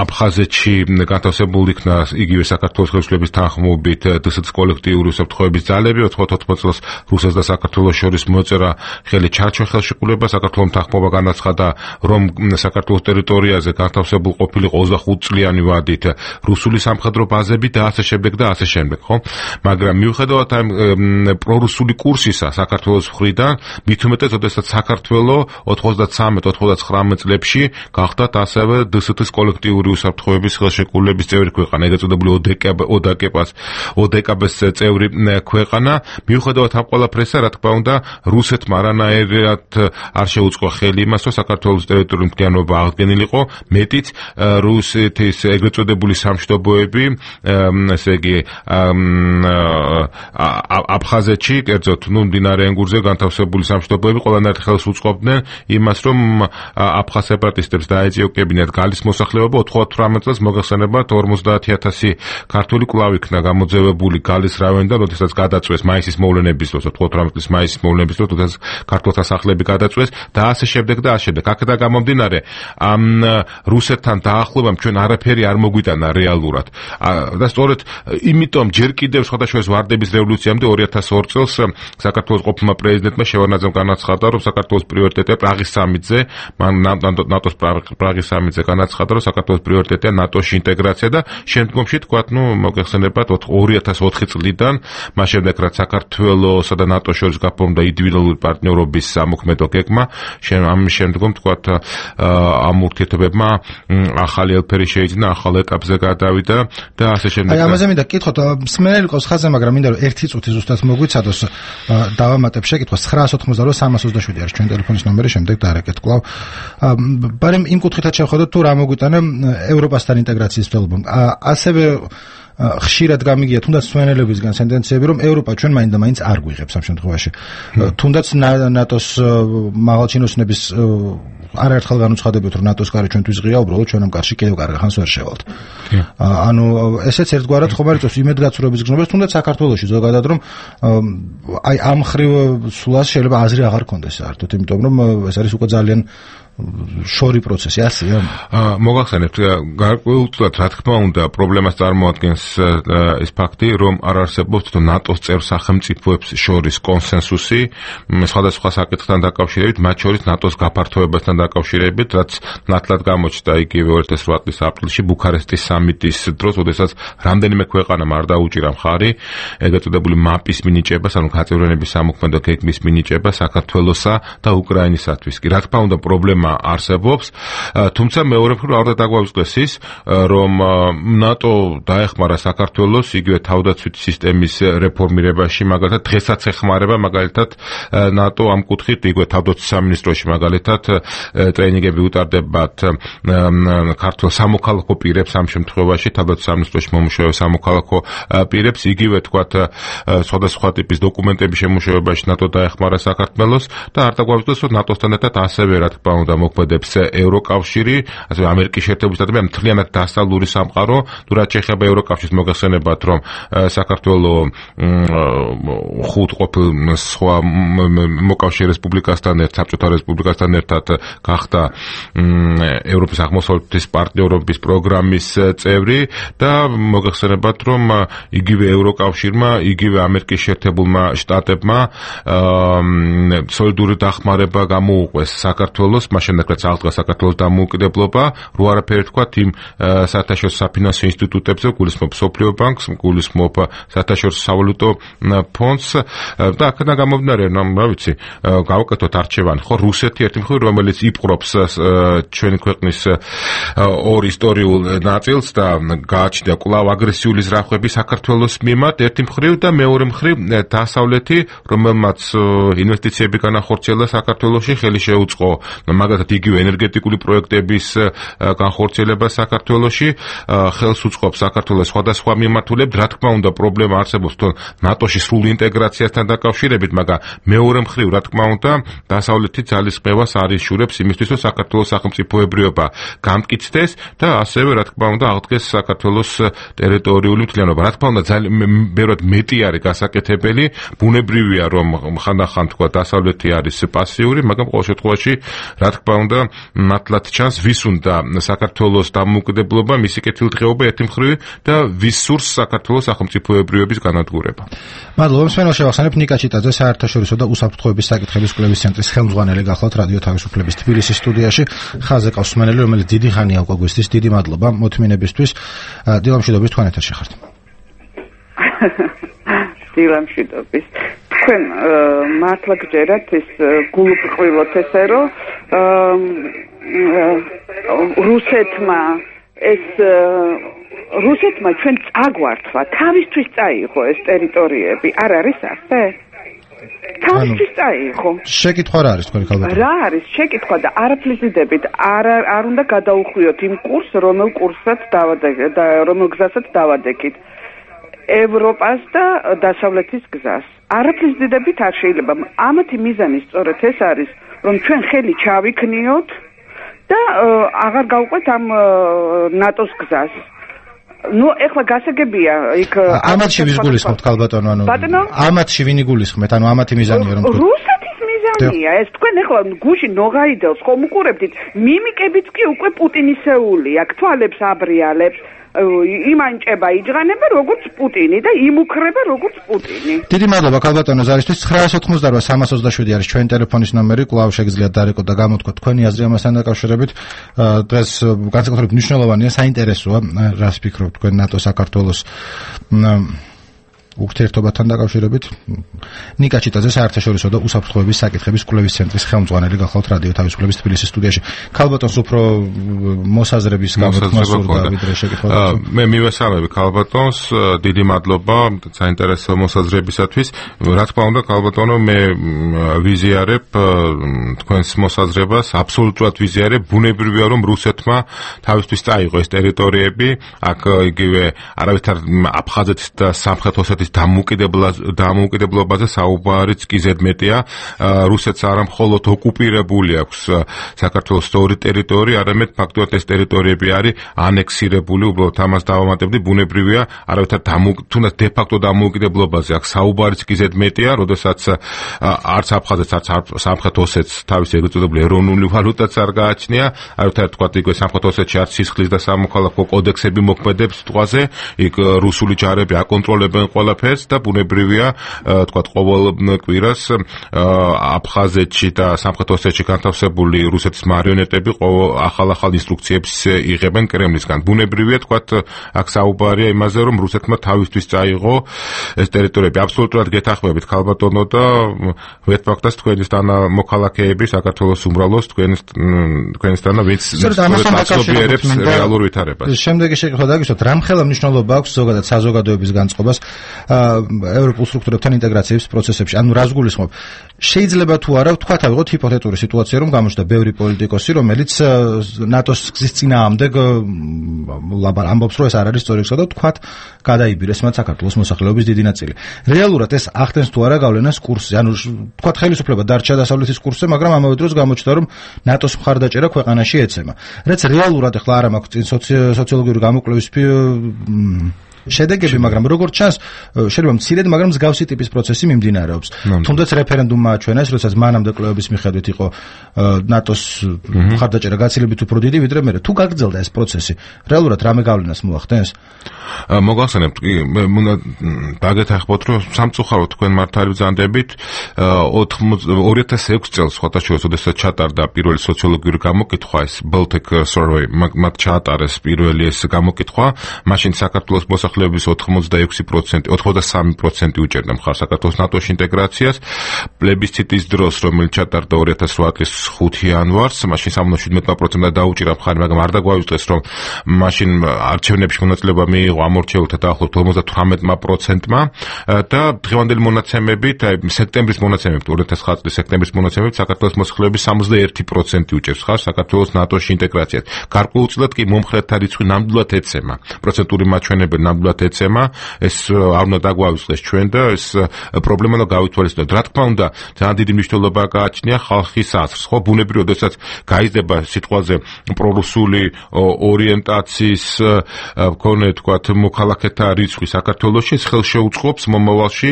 აფხაზეთში განთავსებული იგივე საქართველოს ხელისუფლების თანხმობით დსთ-ს კოლექტიური უსაფრთხოების ძალები, 94 წელს რუსეთს და საქართველოს შორის მოწერა ხელი ჩარჩო ხელშეკრულება, საქართველოს თანხმობა განაცხადა, რომ საქართველოს ტერიტორიაზე განთავსებულ ყოფილიყო 25 წლიანი ვადით რუსული სამხედრო ბაზები და ასე შემდეგ და ასე შემდეგ, ხო? მაგრამ მიუხედავად ამ პრორუსული კურსისა საქართველოს მხრიდან, მით უმეტეს, როდესაც საქართველოს 93-99 წლებში გახდათ ასევე დსთ-ს კოლექტიური უსაფრთხოების ხელშეკრულების წევრი ქვეყანა. ქვეყანა, ეგრეთ წოდებული ოდეკაბ-ს წევრი ქვეყანა. მიუხედავად ამ ყველაფრისა, რა თქმა უნდა, რუსეთმა არანაირად არ შეუწყო ხელი იმას, რომ საქართველოს ტერიტორიული მთლიანობა აღდგენილიყო, მეტიც რუსეთის ეგრეთ წოდებული სამშვიდობოები, ესე იგი აფხაზეთში, კერძოდ, მდინარე ენგურზე განთავსებული სამშვიდობოები ყველანაირად ხელს უწყობდნენ იმას, რომ აფხაზ სეპარატისტებს დაეწიოკებინათ გალის მოსახლეობა. 98 წელს მოგეხსენებათ 50,000 ქართული კვლავ იქნა გამოძევებული გალის რაიონიდან, როდესაც გადაწვეს მაისის მოვლენების დროს, 98 წლის მაისის მოვლენების დროს, როდესაც ქართულთა სახლები გადაწვეს და ასე შემდეგ და ასე შემდეგ. აქედან გამომდინარე, ამ რუსეთთან დაახლოებამ ჩვენ არაფერი არ მოგვიტანა რეალურად. და სწორედ იმიტომ ჯერ კიდევ სხვადასხვა ვარდების რევოლუციამდე 2002 წელს საქართველოს ყოფილმა პრეზიდენტმა შევარდნაძემ განაცხადა, რომ საქართველოს პრიორიტეტია პრაღის სამიტზე, ნატოს პრაღის სამიტზე განაცხადა, რომ საქართველოს პრიორიტეტია ნატოში ინტეგრაცია და შემდგომში თქვა, მოგეხსენებათ 2004 წლიდან, მას შემდეგ რაც საქართველოსა და ნატოს შორის გაფორმდა ინდივიდუალური პარტნიორობის სამოქმედო გეგმა, ამის შემდგომ თქვა ამ ურთიერთობებმა ახალი ელფერი შეიძინა, ახალ ეტაპზე გადავიდა და ასე შემდეგ. აი ამაზე მინდა გითხოთ, მსმენელი ყავს ხაზზე, მაგრამ მინდა რომ 1 წუთი ზუსტად მოგვიცადოს, დავამატებ შეკითხვას 988-327 არის ჩვენ ტელეფონის ნომერი, შემდეგ დარეკეთ კვლავ. ბარემ იმ კუთხითაც შევხედოთ თუ რა მოგვიტანა ევროპასთან ინტეგრაციის მცდელობამ. ასევე ხშირად გამიგია თუნდაც მსმენელებისგან სენტენციები, რომ ევროპა ჩვენ მაინც არ გვიღებს ამ შემთხვევაში. თუნდაც ნატოს მაღალჩინოსნების არაერთხელ განუცხადებთ, რომ ნატოს კარი ჩვენთვის ღია, უბრალოდ ჩვენ ამ კარში კიდევ კარგ ხანს ვერ შევალთ. ანუ ესეც ერთგვარად ხომ არ იწევს იმედგაცრუების გზნობას, თუნდაც საქართველოში ზოგადად, რომ აი ამ ხრივ სულას შეიძლება აზრი აღარ კონდეს საერთოდ, იმიტომ რომ ეს არის უკვე ძალიან შორი პროცესი, ასეა. მოგახსენებთ, გარკვეულწილად რა თქმა უნდა, პრობლემას წარმოადგენს ის ფაქტი, რომ არ არსებობს ნატოს წევრ სახელმწიფოებს შორის კონსენსუსი სხვადასხვა საკითხთან დაკავშირებით, მათ შორის ნატოს გაფართოებასთან დაკავშირებით, რაც ნათლად გამოჩნდა იგივე 2008 წლის აპრილში ბუქარესტის სამიტის დროს, როდესაც რამდენიმე ქვეყანამ არ დაუჭირა მხარი ეგრეთ წოდებული მაპის მინიჭებას, ანუ გაწევრიანების სამოქმედო გეგმის მინიჭებას საქართველოსა და უკრაინისათვის. კი, რა თქმა უნდა, პრობლემა არსებობს, თუმცა მეორე მხრივ არ უნდა დაგვაუწყდეს ის, რომ ნატო დაეხმარა საქართველოს იგივე თავდაცვითი სისტემის რეფორმირებაში, მაგალითად დღესაც ეხმარება მაგალითად ნატო ამ კუთხით, იგივე თავდაცვის სამინისტროში მაგალითად ტრეინინგები უტარდებათ ქართულ სამოქალაქო პირებს, ამ შემთხვევაში თავდაცვის სამინისტროში მომუშავე სამოქალაქო პირებს, იგივე თქვათ სხვადასხვა ტიპის დოკუმენტების შემუშავებაში ნატო დაეხმარა საქართველოს და არ დაგვაუწყდეს, რომ ნატოსთან ერთად ასევე რა თქმა უნდა მოქმედებს ევროკავშირი, ასევე ამერიკის შეერთებული შტატები, მთლიანად დასავლური სამყარო, თუ რაც შეეხება ევროკავშირს, მოგახსენებათ, რომ საქართველოს 5 ყოფილ სხვა მოკავშირე რესპუბლიკასთან ერთად, საბჭოთა რესპუბლიკასთან ერთად გახდა ევროპის აღმოსავლეთის პარტნიორობის პროგრამის წევრი და მოგახსენებათ, რომ იგივე ევროკავშირმა, იგივე ამერიკის შეერთებულმა შტატებმა სოლიდური დახმარება გამოუყვეს საქართველოს, შემდეგ რაც აღდგა საქართველოს დამოუკიდებლობა, რო არაფერი თქვათ იმ საერთაშორისო საფინანსო ინსტიტუტებზე, გულისხმობ მსოფლიო ბანკს, გულისხმობ საერთაშორისო სავალუტო ფონდს და აქედან გამომდინარე, რა ვიცი, გავაკეთოთ არჩევანი, ხო, რუსეთი ერთი მხრივ, რომელიც იპყრობს ჩვენი ქვეყნის ორ ისტორიულ ნაწილს და გააჩნია კვლავ აგრესიული ზრახვები საქართველოს მიმართ, ერთი მხრივ და მეორე მხრივ დასავლეთი, რომელმაც ინვესტიციები განახორციელა საქართველოში, ხელი შეუწყო მაგალითად იგივე ენერგეტიკული პროექტების განხორციელება საქართველოში, ხელს უწყობს საქართველოს სხვადასხვა მიმართულებით, რა თქმა უნდა, პრობლემა არსებობს ნატოში სრული ინტეგრაციასთან დაკავშირებით, მაგრამ მეორე მხრივ, რა თქმა უნდა, დასავლეთი ძალისხმევას არ იშურებს იმისთვის, რომ საქართველოს სახელმწიფოებრიობა გამტკიცდეს და ასევე, რა თქმა უნდა, აღდგეს საქართველოს ტერიტორიული მთლიანობა. რა თქმა უნდა, ძალიან ბევრად მეტი არის გასაკეთებელი, ბუნებრივია, რომ ხანდახან თქვა დასავლეთი არის პასიური, მაგრამ ყოველ შემთხვევაში რა თქმა უნდა, ნათლად ჩანს, ვის უნდა საქართველოს დამოუკიდებლობა, მისი კეთილდღეობა ერთი მხრივ და ვის სურს საქართველოს სახელმწიფოებრიობის განადგურება. მადლობა, მსმენელს შევახსენებ ნიკა ჩიტაძე, საერთაშორისო და უსაფრთხოების საკითხების კვლევის ცენტრის ხელმძღვანელი გახლავთ რადიო თავისუფლების თბილისის სტუდიაში. ხაზზე ყავს მსმენელი, რომელიც დიდი ხანია უკვე გვესდის, დიდი მადლობა მოთმინებისთვის. დილამშვიდობის, თქვენ ეთერში ხართ. დილამშვიდობის. თქვენ მართლა გჯერათ ის გულუბრყვილოთ ესე, რომ რუსეთმა ეს რუსეთმა ჩვენ წაგვართვა, თავისთვის წაიღო ეს ტერიტორიები, არ არის ასე? თავისთვის წაიღო. შეკითხვა რა არის თქვენი ქალბატონო? რა არის შეკითხვა და არაფრის დიდებით არ უნდა გადაუხვიოთ იმ კურსს, რომელ გზასაც დავადექით. ევროპას და დასავლეთის გზას. არაფრის დიდებით არ შეიძლება. ამათი მიზანი სწორედ ეს არის, რომ ჩვენ ხელი ჩავიქნიოთ და აღარ გავყვეთ ამ ნატოს გზას. ნუ ეხლა გასაგებია იქ ამათში ვის გულისხმობთ ქალბატონო, ამათში ვინ იგულისხმეთ, ამათი მიზანია რომ რუსეთის მიზანია ეს. თქვენ ეხლა გუში ნოღაიდელს ხომ უყურებდით? მიმიკებიც კი უკვე პუტინისეული აქ თვალებს აბრიალებს. იმანჭება იჯღანება როგორც პუტინი და იმუქრება როგორც პუტინი. დიდი მადლობა ქალბატონო ზარისთვის. 988-327 არის ჩვენი ტელეფონის ნომერი. კვლავ შეგიძლიათ დარეკოთ და გამოთქვათ თქვენი აზრი ამასთან დაკავშირებით. დღეს განსაკუთრებით მნიშვნელოვანია, საინტერესოა, რას ფიქრობთ თქვენ ნატო საქართველოს ურთიერთობასთან დაკავშირებით. ნიკა ჩიტაძე საერთაშორისო და უსაფრთხოების საკითხების კვლევის ცენტრის ხელმძღვანელი გახლავთ რადიო თავისუფლების თბილისის სტუდიაში. ქალბატონს უფრო მოსაზრების გამოთქმა სურდა ვიდრე შეკითხვა. მე მივესალმები ქალბატონს, დიდი მადლობა საინტერესო მოსაზრებისათვის. რა თქმა უნდა ქალბატონო, მე ვიზიარებ თქვენს მოსაზრებას, აბსოლუტურად ვიზიარებ. ბუნებრივია რომ რუსეთმა თავისთვის წაიღო ეს ტერიტორიები, აქ იგივე არავითარ აფხაზეთის და სამხრეთ ოსეთის დამოუკიდებლობაზე საუბარიც კი ზედმეტია. რუსეთს არა მხოლოდ ოკუპირებული აქვს საქართველოს სწორი ტერიტორია, არამედ ფაქტობრივად ეს ტერიტორიები არის ანექსირებული, უბრალოდ ამას დავამატებდი. ბუნებრივია, არავითარ თუნდაც დე-ფაქტო დამოუკიდებლობაზე აქ საუბარიც კი ზედმეტია, როდესაც არც აფხაზეთს, არც სამხრეთ ოსეთს თავისი ეგრეთ წოდებული ეროვნული ვალუტაც არ გააჩნია. არავითარ თქვა იგივე სამხრეთ ოსეთში არც სისხლის და სამოქალაქო კოდექსები მოქმედებს ტყვაზე, იქ რუსული ჯარები აკონტროლებენ ყველაფერს და ბუნებრივია, თქვა ყოველ კვირას აფხაზეთში და სამხრეთ ოსეთში განთავსებული რუსეთის მარიონეტები ახალ ინსტრუქციებს იღებენ კრემლისგან. ბუნებრივია, თქვა აქ საუბარია იმაზე, რომ რუსეთმა თავისთვის წაიღო ეს ტერიტორიები. აბსოლუტურად გეთანხმებით ქალბატონო და ვეთფაქტას თქვენისთან მოქალაქეები საქართველოს უმრავლოს თქვენისთან ვინც გასწობიერებს რეალურ ვითარებას. შემდეგი შეკითხვა დაგისვათ, რამხელა მნიშვნელობა აქვს ზოგადად საზოგადოების განწყობას ევროპულ სტრუქტურებთან ინტეგრაციის პროცესებში. ანუ რას გულისხმობ? შეიძლება თუ არა ვთქვათ, ავიღოთ ჰიპოთეტური სიტუაცია, რომ გამოჩნდა ბევრი პოლიტიკოსი, რომელიც ნატოს გზის წინააღმდეგ ამბობს, რომ ეს არ არის სწორი გზა და ვთქვათ, გადაიბირეს მათ საქართველოს მოსახლეობის დიდი ნაწილი. რეალურად ეს ახდენს თუ არა გავლენას კურსზე. ანუ ვთქვათ, ხელისუფლება დარჩა დასავლეთის კურსზე, მაგრამ ამავე დროს გამოჩნდა, რომ ნატოს მხარდაჭერა ქვეყანაში ეცემა. რაც რეალურად ახლა არ მაქვს წინ სოციოლოგიური გამოკვლევის შედეგები, მაგრამ როგორც ჩანს, შეიძლება მცირედ, მაგრამ მსგავსი ტიპის პროცესი მიმდინარეობს. თუნდაც რეფერენდუმმა აჩვენა, როდესაც მანამდე კვლევების მიხედვით იყო ნატოს მხარდაჭერა გაცილებით უფრო დიდი, ვიდრე მე. თუ გაგრძელდა ეს პროცესი, რეალურად რამე გავლენას მოახდენს? მოგახსენებთ, უნდა დაგეთანხმოთ, რომ სამწუხაროდ თქვენ მართალი ბრძანდებით 2006 წელს ხოთაშორის, როდესაც ჩატარდა პირველი სოციოლოგიური გამოკითხვა, ეს Baltic Survey, მათ ჩაატარეს პირველი ეს გამოკითხვა, მაშინ საქართველოს მოსახლეობის 83% უჭერდა მხარს საქართველოს ნატოში ინტეგრაციას. პლებისციტის დროს, რომელიც ჩატარდა 2008 წლის 5 იანვარს, მაშინ 77% დაუჭირა მხარი, მაგრამ არ დაგვაუწყდეს, რომ მაშინ არჩევნებში მონაწილეობა მიიღო ამორჩეულთა დაახლოებით 58%-მა და დღევანდელი მონაცემებით, სექტემბრის მონაცემებით, 2009 წლის სექტემბრის მონაცემებით, საქართველოს მოსახლეობის 61% უჭერს მხარს საქართველოს ნატოში ინტეგრაციას. გარკვეულწილად კი მომხრეთა რიცხვი ნამდვილად ეცემა. პროცენტული მაჩვენებელი ნამდვილად ეცემა, ეს არ უნდა დაგვაუწყდეს ჩვენ და ეს პრობლემა უნდა გავითვალისწინოთ. რა თქმა უნდა, ძალიან დიდი მნიშვნელობა გააჩნია ხალხის აზრს. ხო, ბუნებრივია, როდესაც გაიზრდება სიტყვაზე პრორუსული ორიენტაციის მქონე, თქვათ, მოქალაქეთა რიცხვი საქართველოში, ეს ხელშეუწყობს მომავალში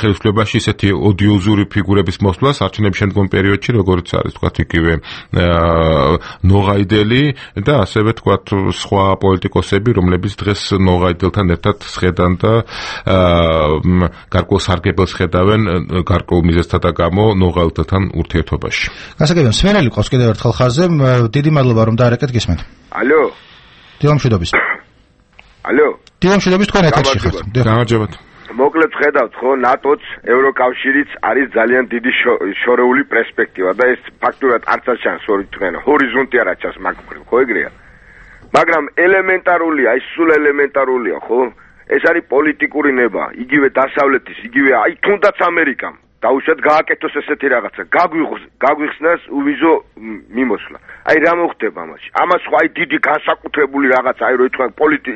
ხელისუფლებაში ისეთი ოდიოზური ფიგურების მოსვლას არჩევნების შემდგომ პერიოდში, როგორც არის, თქვათ, იგივე ნოღაიდელი და ასევე, თქვათ, სხვა პოლიტიკოსები, რომლებიც დღეს ნოღაიdelთან ერთად შედან და გარკვეულ სარგებელს ხედავენ გარკვეულ მიზეზთა და გამო ნოღაიdelთან ურთიერთობაში. გასაგებია, სვენელი ყავს კიდევ ერთხელ ხარზე. დიდი მადლობა რომ დაარეკეთ, გისმენთ. ალო. დილამშვიდობის. ალო. დილამშვიდობის, თქვენ ეთერში ხართ. გამარჯობათ. მოკლედ ხედავთ, ხო, ნატოც, ევროკავშირიც არის ძალიან დიდი შორეული პერსპექტივა და ეს ფაქტურად არც არ ჩანს თქენ ჰორიზონტი არა ჩანს მაგ მხრივ, ხო ეგრეა? მაგრამ ელემენტარულია, ის სულ ელემენტარულია, ხო? ეს არის პოლიტიკური ნება, იგივე დასავლეთის, იგივე აი თუნდაც ამერიკამ დაუშვათ გააკეთოს ესეთი რაღაცა, გაგვიხსნას უვიზო მიმოსვლა. აი რა მოხდება ამაში? ამას ხო აი დიდი განსაკუთრებული რაღაცა, აი რო ითქვა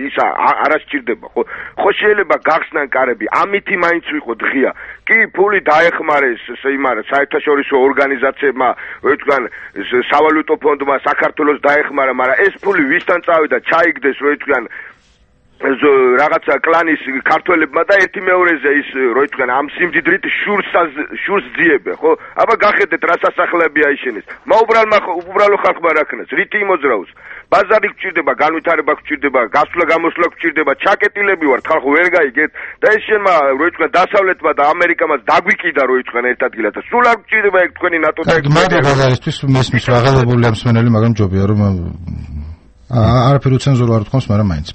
ისა არ სჭირდება, ხო? ხო შეიძლება გახსნან კარები, ამითი მაინც ვიყო დღია. კი, ფული დაეხმარეს იმარა საერთაშორისო ორგანიზაციებმა, რო ითქვა სავალუტო ფონდმა საქართველოს დაეხმარა, მაგრამ ეს ფული ვისთან წავიდა, ჩაიგდეს, რო ითქვა რაღაცა კლანის ქართველებმა და ერთი მეორეზე ის რო ითქვა ამ სიმდიდრით შურს ძიებენ, ხო? აბა გახედეთ რა სასახლეები აიშენეს. უბრალო ხალხმა რა ქნას, რითი იმოძრაოს? ბაზარი გჭირდება, განვითარება გჭირდება, გასვლა-გამოსვლა გჭირდება, ჩაკეტილები ვართ, ხალხო ვერ გაიგეთ და ეს შენმა რო ითქვა დასავლეთმა და ამერიკამაც დაგვიკიდა რო ითქვა ერთ ადგილად და სულ არ გჭირდება ეგ თქვენი ნატო და ეგ ბაზარისთვის მესმის რა აღელებული ამ სმენელი, მაგრამ ჯობია რომ არაფერი უცენზურა არ თქოს, მაგრამ მაინც.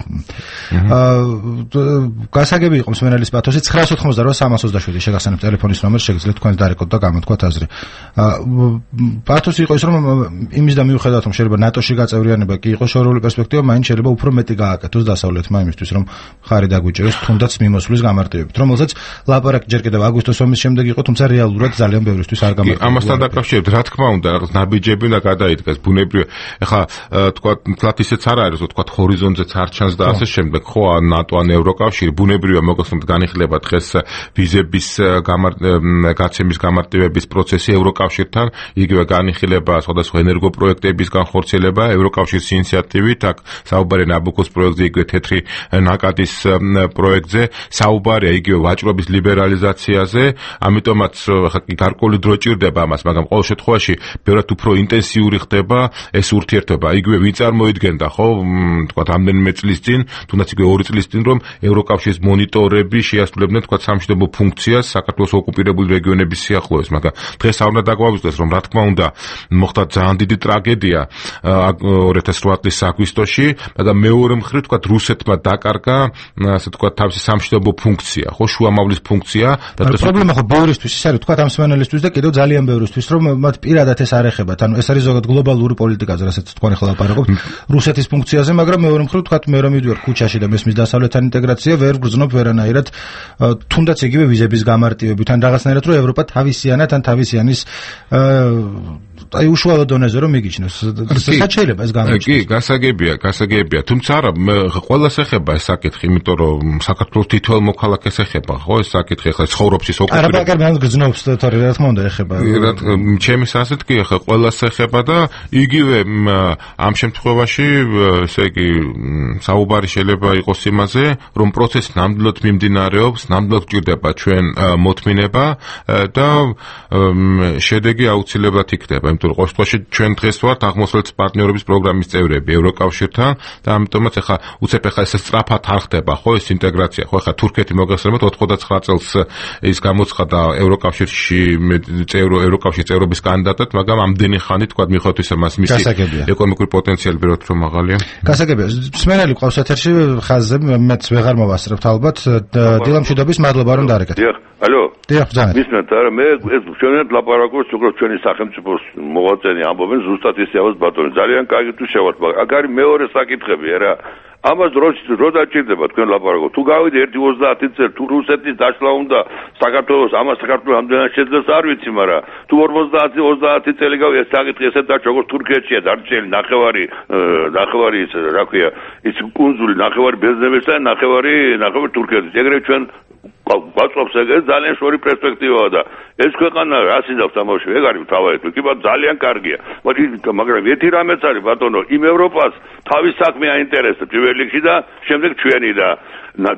გასაგები იყო მსმენელის პათოსი 988-327 შეგახსენებთ ტელეფონის ნომერს, შეგიძლიათ თქვენ დარეკოთ და გამოთქვათ აზრი. პათოსი იყო ის, რომ იმის და მიუხედავად რომ შეიძლება ნატოში გაწევრიანება კი იყოს შორეული პერსპექტივა, მაინც შეიძლება უფრო მეტი გააკეთოს დასავლეთმა იმისთვის, რომ ხარი დაგვიჭეროს თუნდაც მიმოსვლის გამარტივებით, რომელსაც ლაპარაკი ჯერ კიდევ აგვისტოს ომის შემდეგ იყო, თუმცა რეალურად ძალიან ბევრისთვის არ გამარტივდა. ამასთან დაკავშირებით, რა თქმა უნდა, რაღაც ნაბიჯები და გადაიდგეს ბუნებრივი. ეხლა თქვა ისეც არ არის, რომ თქვა ჰორიზონტზეც არ ჩანს და ასე შემდეგ, ხო, ნატო ან ევროკავშირი ბუნებრივია მოგხსნათ განიხილება დღეს ვიზების გაცემის გამარტივების პროცესი ევროკავშირთან, იგივე განიხილება სხვადასხვა ენერგოპროექტების განხორციელება ევროკავშირის ინიციატივით, აქ საუბარია ნაბუკოს პროექტზე, იგივე თეთრი ნაკადის პროექტზე, საუბარია იგივე ვაჭრობის ლიბერალიზაციაზე, ამიტომაც ხა გარკვეული დრო ჭირდება ამას, მაგრამ ყოველ შემთხვევაში ბევრად უფრო ინტენსიური ხდება ეს ურთიერთობა, იგივე ვინ წარმოიდგენდა ხო, თქვა რამდენიმე წლის წინ, თუნდაც იგივე 2 წლის წინ, რომ ევროკავშირის მონიტორები შეასრულებდნენ თქვა სამშვიდობო ფუნქციას საქართველოს ოკუპირებული რეგიონების სიახლოვეს, მაგრამ დღეს არ უნდა დაგვაუწყდეს, რომ რა თქმა უნდა მოხდა ძალიან დიდი ტრაგედია 2008 წლის აგვისტოში, მაგრამ მეორე მხრივ თქვა რუსეთმა დაკარგა, ასე თქვა თავისი სამშვიდობო ფუნქცია, ხო, შუამავლის ფუნქცია და პრობლემა ხო ბევრისთვის ის არის, თქვა ამ სმენელისთვის და კიდევ ძალიან ბევრისთვის, რომ მათ პირადად ეს არ ეხებათ, ანუ ეს არის ზოგადად გლობალური პოლიტიკაზე, რასაც თქვენ ახლა ლაპარაკობთ, რუსეთის ფუნქციაზე, მაგრამ მეორე მხრივ თქვა მე რომ მივიდივარ ქუჩაში და მესმის დასავლეთთან ინტეგრაცია ვერ გრძნობ ვერანაირად, თუნდაც იგივე ვიზების გამარტივებით, ან რაღაცნაირად რომ ევროპა თავისიანად ან თავისიანის აი უშუალო დონეზე რომ მიგიჩნევს. შეიძლება ეს გამოჩნდეს. კი, გასაგებია, თუმცა არა, ყველას ეხება ეს საკითხი, იმიტომ რომ საქართველოს თითოეულ მოქალაქეს ეხება, ხო, ეს საკითხი ახლა ცხოვრობს ის ოკუპირებული. არა, მაგრამ გრძნობს თორე რა თქმა უნდა ეხება. ჩემის ასეთ კი ახლა ყველას ეხება და იგივე ამ შემთხვევაში, ესე იგი, საუბარი შეიძლება იყოს იმაზე, რომ პროცესი ნამდვილად მიმდინარეობს, ნამდვილად გჭირდება ჩვენ მოთმინება და შედეგი აუცილებლად იქნება. იმიტომ რომ ყოველ შემთხვევაში ჩვენ დღეს ვართ აღმოსავლეთის პარტნიორობის პროგრამის წევრები ევროკავშირთან და ამიტომაც ახლა უცებ ახლა ეს სწრაფად არ ხდება, ხო, ეს ინტეგრაცია, ხო, ახლა თურქეთი მოგეხსენებათ 99 წელს ის გამოცხადა ევროკავშირში ევროკავშირის წევრობის კანდიდატად, მაგრამ ამდენი ხანი თქვა მიუხედავად ისა მას მისი ეკონომიკური პოტენციალი ბევრად უფრო მაღალია. გასაგებია. სმენელი ყავს ეთერში ხაზზე, მეც ვეღარ მოვასწრებთ ალბათ. დილამშვიდობის, მადლობა რომ დარეკეთ. ალო. დიახ, ბრძანეთ. მისმენთ, არა, მე ეს ჩვენად ლაპარაკობს, უბრალოდ ჩვენი სახელმწიფოს მოღვაწენი ამბობენ ზუსტად ისე ამას ბატონი. ძალიან კარგი თუ შევართ, მაგრამ აქ არის მეორე საკითხები, რა. ამას რო დაჭირდება თქვენ ლაპარაკობთ. თუ გავიდე 1-30 წელი, თუ რუსეთის დაშლა უნდა საქართველოს, ამას საქართველოს ამდენად შეძლებს არ ვიცი, მაგრამ თუ 50-30 წელი გავიდა ეს საკითხი ესეთ და როგორც თურქეთშია დარჩენილი ნახევარი ის რა ქვია, ის კუნძული ნახევარი ბერძნებისა და ნახევარი თურქეთის. ეგრევე ჩვენ გვაწყობს ეგრე ძალიან შორი პერსპექტივაა და ეს ქვეყანა რა სინდავს ამაში ეგ არის თავად კი ბატონო ძალიან კარგია მაგრამ ერთი რამეც არის ბატონო იმ ევროპას თავის საქმე აინტერესებს პირველ რიგში და შემდეგ ჩვენი და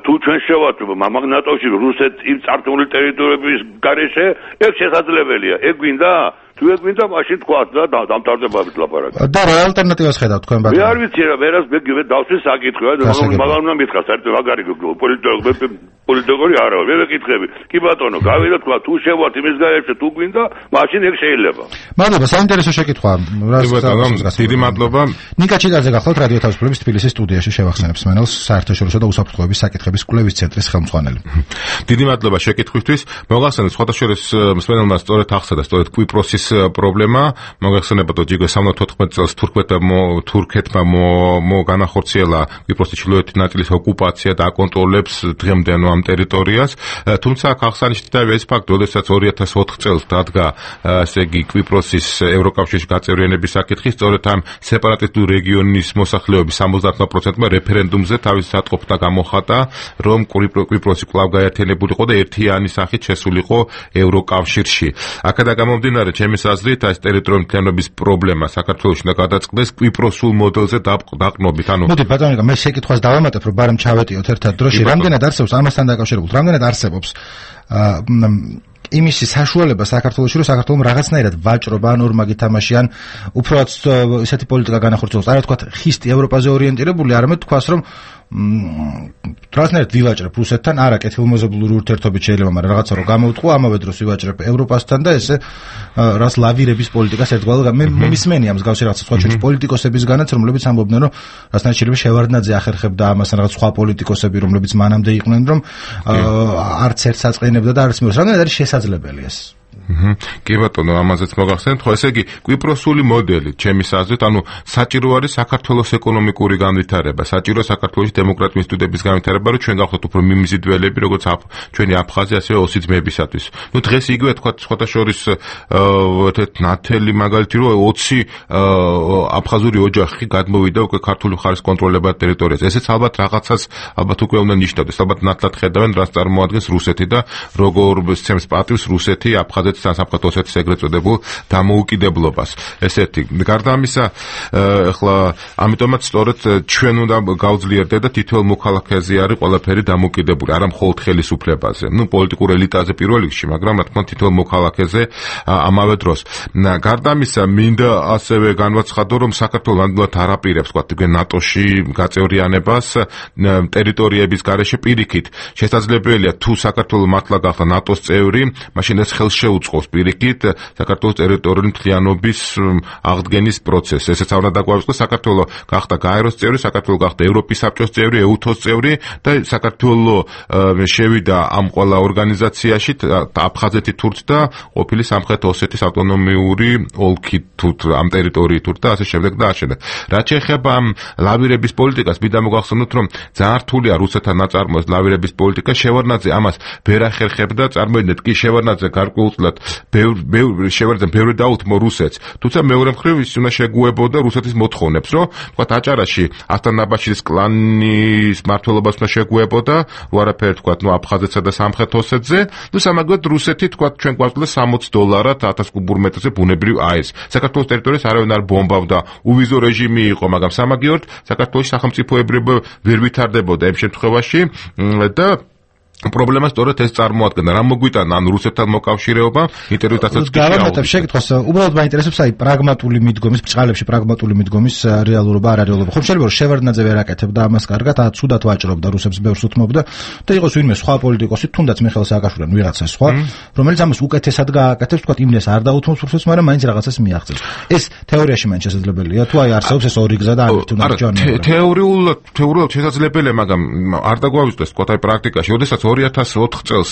თუ ჩვენ შევართ ნატოში რუსეთ იმ წარსული ტერიტორიების გარეშე ეგ შესაძლებელია ეგ გვინდა თუ ეგ გვინდა მაშინ თქვა და დამთავრდებათ ლაპარაკი და რა ალტერნატივას ხედავთ თქვენ ბატონო მე არ ვიცი რა ვერას მე დავსვი საკითხია მაგრამ უნდა მითხრა საერთოდ მაგარი პოლიტიკორი არა მე ვეკითხები კი ბატონო გავიდა თქვა თუ შევართ იმის გარეშე თუ გვინდა მაშინ ეგ შეიძლება მადლობა საინტერესო შეკითხვა დიდი მადლობა ნიკა ჩიკაძე გახლავთ რადიო თავისუფლების თბილისის სტუდიაში შევახსენებს მენელს საერთაშორისო და უსაფრთხოების საკითხების კვლევის ცენტრის ხელმძღვანელი დიდი მადლობა შეკითხვისთვის მოგახსენებთ სხვადასხვა მსმენელმა სწორედ ახსნა და სწორედ კვიპროსის პრობლემა, მოგეხსენებათ, რომ ჯიგო 74 წელს თურქეთმა განახორციელა კვიპროსის ჩრდილოეთი ნაწილის ოკუპაცია და აკონტროლებს დღემდე ამ ტერიტორიას. თუმცა აღსანიშნავია ეს ფაქტი, როდესაც 2004 წელს დადგა ესე იგი კვიპროსის ევროკავშირში გაწევრიანების საკითხი, სწორედ ამ სეპარატისტული რეგიონის მოსახლეობის 70%-მა რეფერენდუმზე თავის სატყობთა გამოხატა, რომ კვიპროსი კვლავ გაერთიანებულიყო და ერთიანი სახით შესულიყო ევროკავშირში. აქედან გამომდინარე, ჩემის აზრით, ეს ტერიტორიული მთლიანობის პრობლემა საქართველოში უნდა გადაწყდეს კვიპროსულ მოდელზე დაყრდნობით. მოდი ბატონო, მე შეკითხვას დავამატებ, რომ ბარემ ჩავეტიოთ ერთად დროში, რამდენად არსებობს ამასთან დაკავშირებულ, რამდენად არსებობს იმისი საშუალება საქართველოში, რომ საქართველოს რაღაცნაირად ვაჭრობა ან ორმაგი თამაში ან უბრალოდ ესეთი პოლიტიკა განახორციელოს, არა თქვა ხისტი ევროპაზე ორიენტირებული, არამედ თქვას, რომ რაღაცნაირად ვივაჭრებ რუსეთთან, არა კეთილმოზობლური ურთიერთობით შეიძლება, მაგრამ რაღაცა რომ გამოუტყო, ამავე დროს ვივაჭრებ ევროპასთან და ესე რას ლავირების პოლიტიკას ერთგვარად მე მისმენი ამ მსგავსი რაღაცა სხვა ჩვენი პოლიტიკოსებისგანაც, რომლებიც ამბობდნენ, რომ რაღაცნაირად შეიძლება შევარდნაძე ახერხებდა ამას, რაღაც სხვა პოლიტიკოსები, რომლებიც მანამდე იყვნენ, რომ არც ერთს აწყენებდა და არც მეორე. რამდენად არის შესაძლებელი ეს? კი ბატონო, ამაზეც მოგახსენებთ, ხო, ესე იგი კვიპროსული მოდელი, ჩემის აზრით, საჭირო არის საქართველოს ეკონომიკური განვითარება, საჭირო საქართველოს დემოკრატიული ინსტიტუტების განვითარება, რომ ჩვენ გავხდეთ უფრო მიმზიდველები, როგორც ჩვენი აფხაზი, ასევე ოსი ძმებისათვის. დღეს იგივე თქვა, სხვათა შორის ნათელი მაგალითი, რომ 20 აფხაზური ოჯახი გადმოვიდა უკვე ქართული მხარის კონტროლებად ტერიტორიაზე. ესეც ალბათ რაღაცას უკვე უნდა ნიშნავდეს, ალბათ ნათლად ხედავენ, რას წარმოადგენს რუსეთი და როგორ სცემს პატივს რუსეთი აფხაზეთის სამხრეთ ოსეთის ეგრეთ წოდებულ დამოუკიდებლობას. ესეთი. გარდა ამისა, ახლა ამიტომაც სწორედ ჩვენ უნდა გავძლიერდეთ და თითოეულ მოქალაქეზე არის ყველაფერი დამოუკიდებული, არა მხოლოდ ხელისუფლებაზე. პოლიტიკურ ელიტაზე პირველ რიგში, მაგრამ რა თქმა უნდა თითოეულ მოქალაქეზე ამავე დროს. გარდა ამისა, მინდა ასევე განვაცხადო, რომ საქართველოს ნამდვილად არ აპირებს, თქვა, ნატოში გაწევრიანებას ტერიტორიების გარეშე პირიქით. შესაძლებელია თუ საქართველოს მართლა გახდა ნატოს წევრი, მაშინ ეს ხელს შეუწყობს პირიქით საქართველოს ტერიტორიული მთლიანობის აღდგენის პროცესს. ესეც არ უნდა დაგვაუწყდეს, საქართველოს გახდა გაეროს წევრი, საქართველოს გახდა ევროპის საბჭოს წევრი, ეუთოს წევრი და საქართველოს შევიდა ამ ყველა ორგანიზაციაში, აფხაზეთი თურთ და ყოფილი სამხრეთ ოსეთის ავტონომიური ოლქი თურთ, ამ ტერიტორიით თურთ და ასე შემდეგ და ასე შემდეგ. რაც შეეხება ამ ლავირების პოლიტიკას, მინდა მოგახსენოთ, რომ ძალიან რთულია რუსეთთან ნაწარმოებს ლავირების პოლიტიკა, შევარდნაძე ამას ვერ ახერხებდა, წარმოიდგინეთ კი შევარდნაძე გარკვეულწილად ბევრი დაუთმო რუსეთს, თუმცა მეორე მხრივ ის უნდა შეგუებოდა რუსეთის მოთხოვნებს, რომ თქვა აჭარაში ასტანაბაშის კლანის მმართველობას უნდა შეგუებოდა, უარაფერი თქვა აფხაზეთსა და სამხრეთ ოსეთზე, სამაგოდ რუსეთი თქვა ჩვენ გვაძლევს $60 1000 კუბურ მეტრზე ბუნებრივ აირს. საქართველოს ტერიტორიას არავინ არ ბომბავდა, უვიზო რეჟიმი იყო, მაგრამ სამაგოდ საქართველოს სახელმწიფოებრიობა ვერ ვითარდებოდა ამ შემთხვევაში და პრობლემა სწორედ ეს წარმოადგენდა. რა მოგვიტანა ან რუსეთთან მოკავშირეობა, ინტერვიუდასაც კი გავამატებ შეკითხვას, უბრალოდ მაინტერესებს პრაგმატული მიდგომის, ბჭყალებში პრაგმატული მიდგომის რეალურობა, არარეალობა. ხომ შეიძლება რომ შევარდნაძე ვერ აკეთებდა ამას კარგად, ცუდად ვაჭრობდა რუსებს, ბევრს უთმობდა და იყოს ვინმე სხვა პოლიტიკოსი, თუნდაც მიხეილ სააკაშვილი ან ვიღაცა სხვა, რომელიც ამას უკეთესად გააკეთებს, თქვა იმდენს არ დაუთმობს რუსებს, მაგრამ მაინც რაღაცას მიაღწევს. ეს თეორიაში მაინც შესაძლებელია, თუ აი არსებობს ეს ორი გზა და ამით უნდა ჯანმრთელობა. თეორიულად შესაძლებელია, მაგრამ არ დაგვაუწყდეს თქვა აი პრაქტიკაში, როდესაც 2004 წელს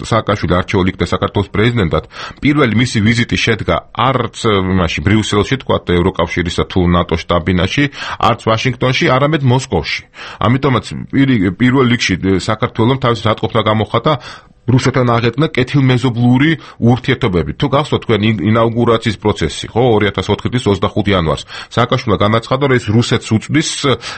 სააკაშვილი არჩეულ იქნა საქართველოს პრეზიდენტად, პირველი მისი ვიზიტი შედგა არც იმაში ბრიუსელში, თქვა ევროკავშირისა თუ ნატოს შტაბ-ბინაში, არც ვაშინგტონში, არამედ მოსკოვში. ამიტომაც პირველ რიგში საქართველოს თავის სატყობთა გამოხატა რუსეთთან აღედგინა კეთილმეზობლური ურთიერთობები. თუ გახსოვთ თქვენ ინაუგურაციის პროცესი, ხო, 2004 წლის 25 იანვარს. სააკაშვილმა განაცხადა, რომ ეს რუსეთს უწვდის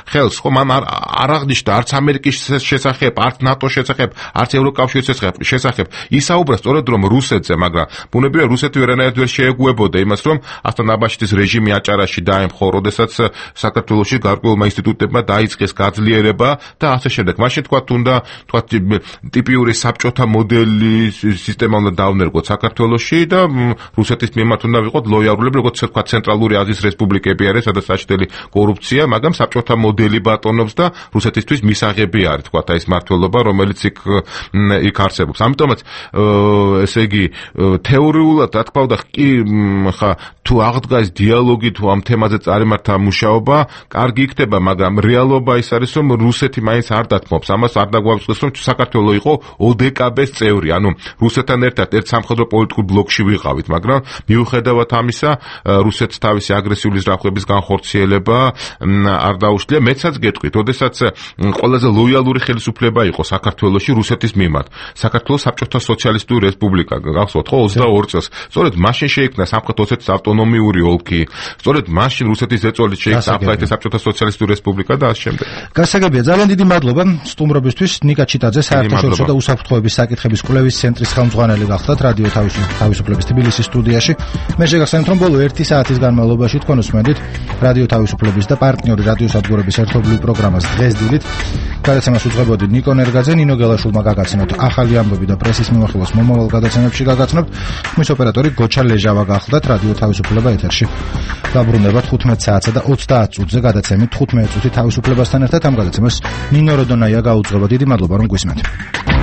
ხელს, ხო, მან არ აღნიშნა არც ამერიკის შესახებ, არც ნატოს შესახებ, არც ევროკავშირის შესახებ. ისაუბრა სწორედ რომ რუსეთზე, მაგრამ ბუნებრივია რუსეთი ვერანაირად ვერ შეეგუებოდა იმას, რომ ასტანაბაშის რეჟიმი აჭარაში დაემხო, როდესაც საქართველოში გარკვეულმა ინსტიტუტებმა დაიწყეს გაძლიერება და ასე შემდეგ. მაშინ თქვა თუნდა თქვა ტიპიური საბჭოთა მოდელი სისტემა უნდა დავნერგოთ საქართველოში და რუსეთის მიმართ უნდა ვიყოთ ლოიალურები, როგორც თქვა ცენტრალური აზიის რესპუბლიკები არის, სადაც საჭდელი კორუფცია, მაგრამ საბჭოთა მოდელი ბატონობს და რუსეთისთვის მისაღები არის, თქვა ეს მმართველობა, რომელიც იქ არსებობს. ამიტომაც ესე იგი თეორიულად რა თქმა უნდა კი ხა თუ აღდგა ეს დიალოგი, თუ ამ თემაზე წარიმართა მუშაობა, კარგი იქნება, მაგრამ რეალობა ის არის, რომ რუსეთი მაინც არ დათმობს. ამას არ დაგვაუწყდეს, რომ საქართველო იყო ოდკბ ეს წევრი, ანუ რუსეთთან ერთად ერთ სამხედრო პოლიტიკურ ბლოკში ვიყავით, მაგრამ მიუხედავად ამისა, რუსეთს თავისი აგრესიული ზრახვების განხორციელება არ დაუშლია. მეცაც გეტყვით, ოდესაც ყველაზე ლოიალური ხელისუფლება იყო საქართველოში რუსეთის მიმართ. საქართველოს საბჭოთა სოციალისტური რესპუბლიკა გახსოვთ ხო 22 წელს. სწორედ მაშინ შეიქმნა სამხრეთ ოსეთის ავტონომიური ოლქი. სწორედ მაშინ რუსეთის ზეწოლით შეიქმნა აფხაზეთის საბჭოთა სოციალისტური რესპუბლიკა და ასე შემდეგ. გასაგებია, ძალიან დიდი მადლობა სტუმრობისთვის. ნიკა ჩიტაძე, საერთაშორისო და უსაფრთხოების საკითხების კვლევის ცენტრის ხელმძღვანელი გახდათ რადიო თავისუფლების თბილისის სტუდიაში. მე შეგახსენებთ, რომ ბოლო 1 საათის განმავლობაში თქვენ უსმენდით რადიო თავისუფლების და პარტნიორი რადიო სადგურების ერთობლივ პროგრამას დღეს დილით. გადაცემას უძღვებოდი ნიკო ნერგაძე, ნინო გელაშვილმა გაგაცნოთ ახალი ამბები და პრესის მიმოხილვას მომავალ გადაცემებში გაგაცნობთ. მის ოპერატორი გოჩა ლეჟავა გახლდათ რადიო თავისუფლება ეთერში. დაბრუნებათ 15 საათსა და 30 წუთზე გადაცემით 15 წუთი თავისუფლებასთან ერთად ამ გადაცემას ნინო როდონაია გაუძღვება. დიდი მადლობა რომ გვისმენთ.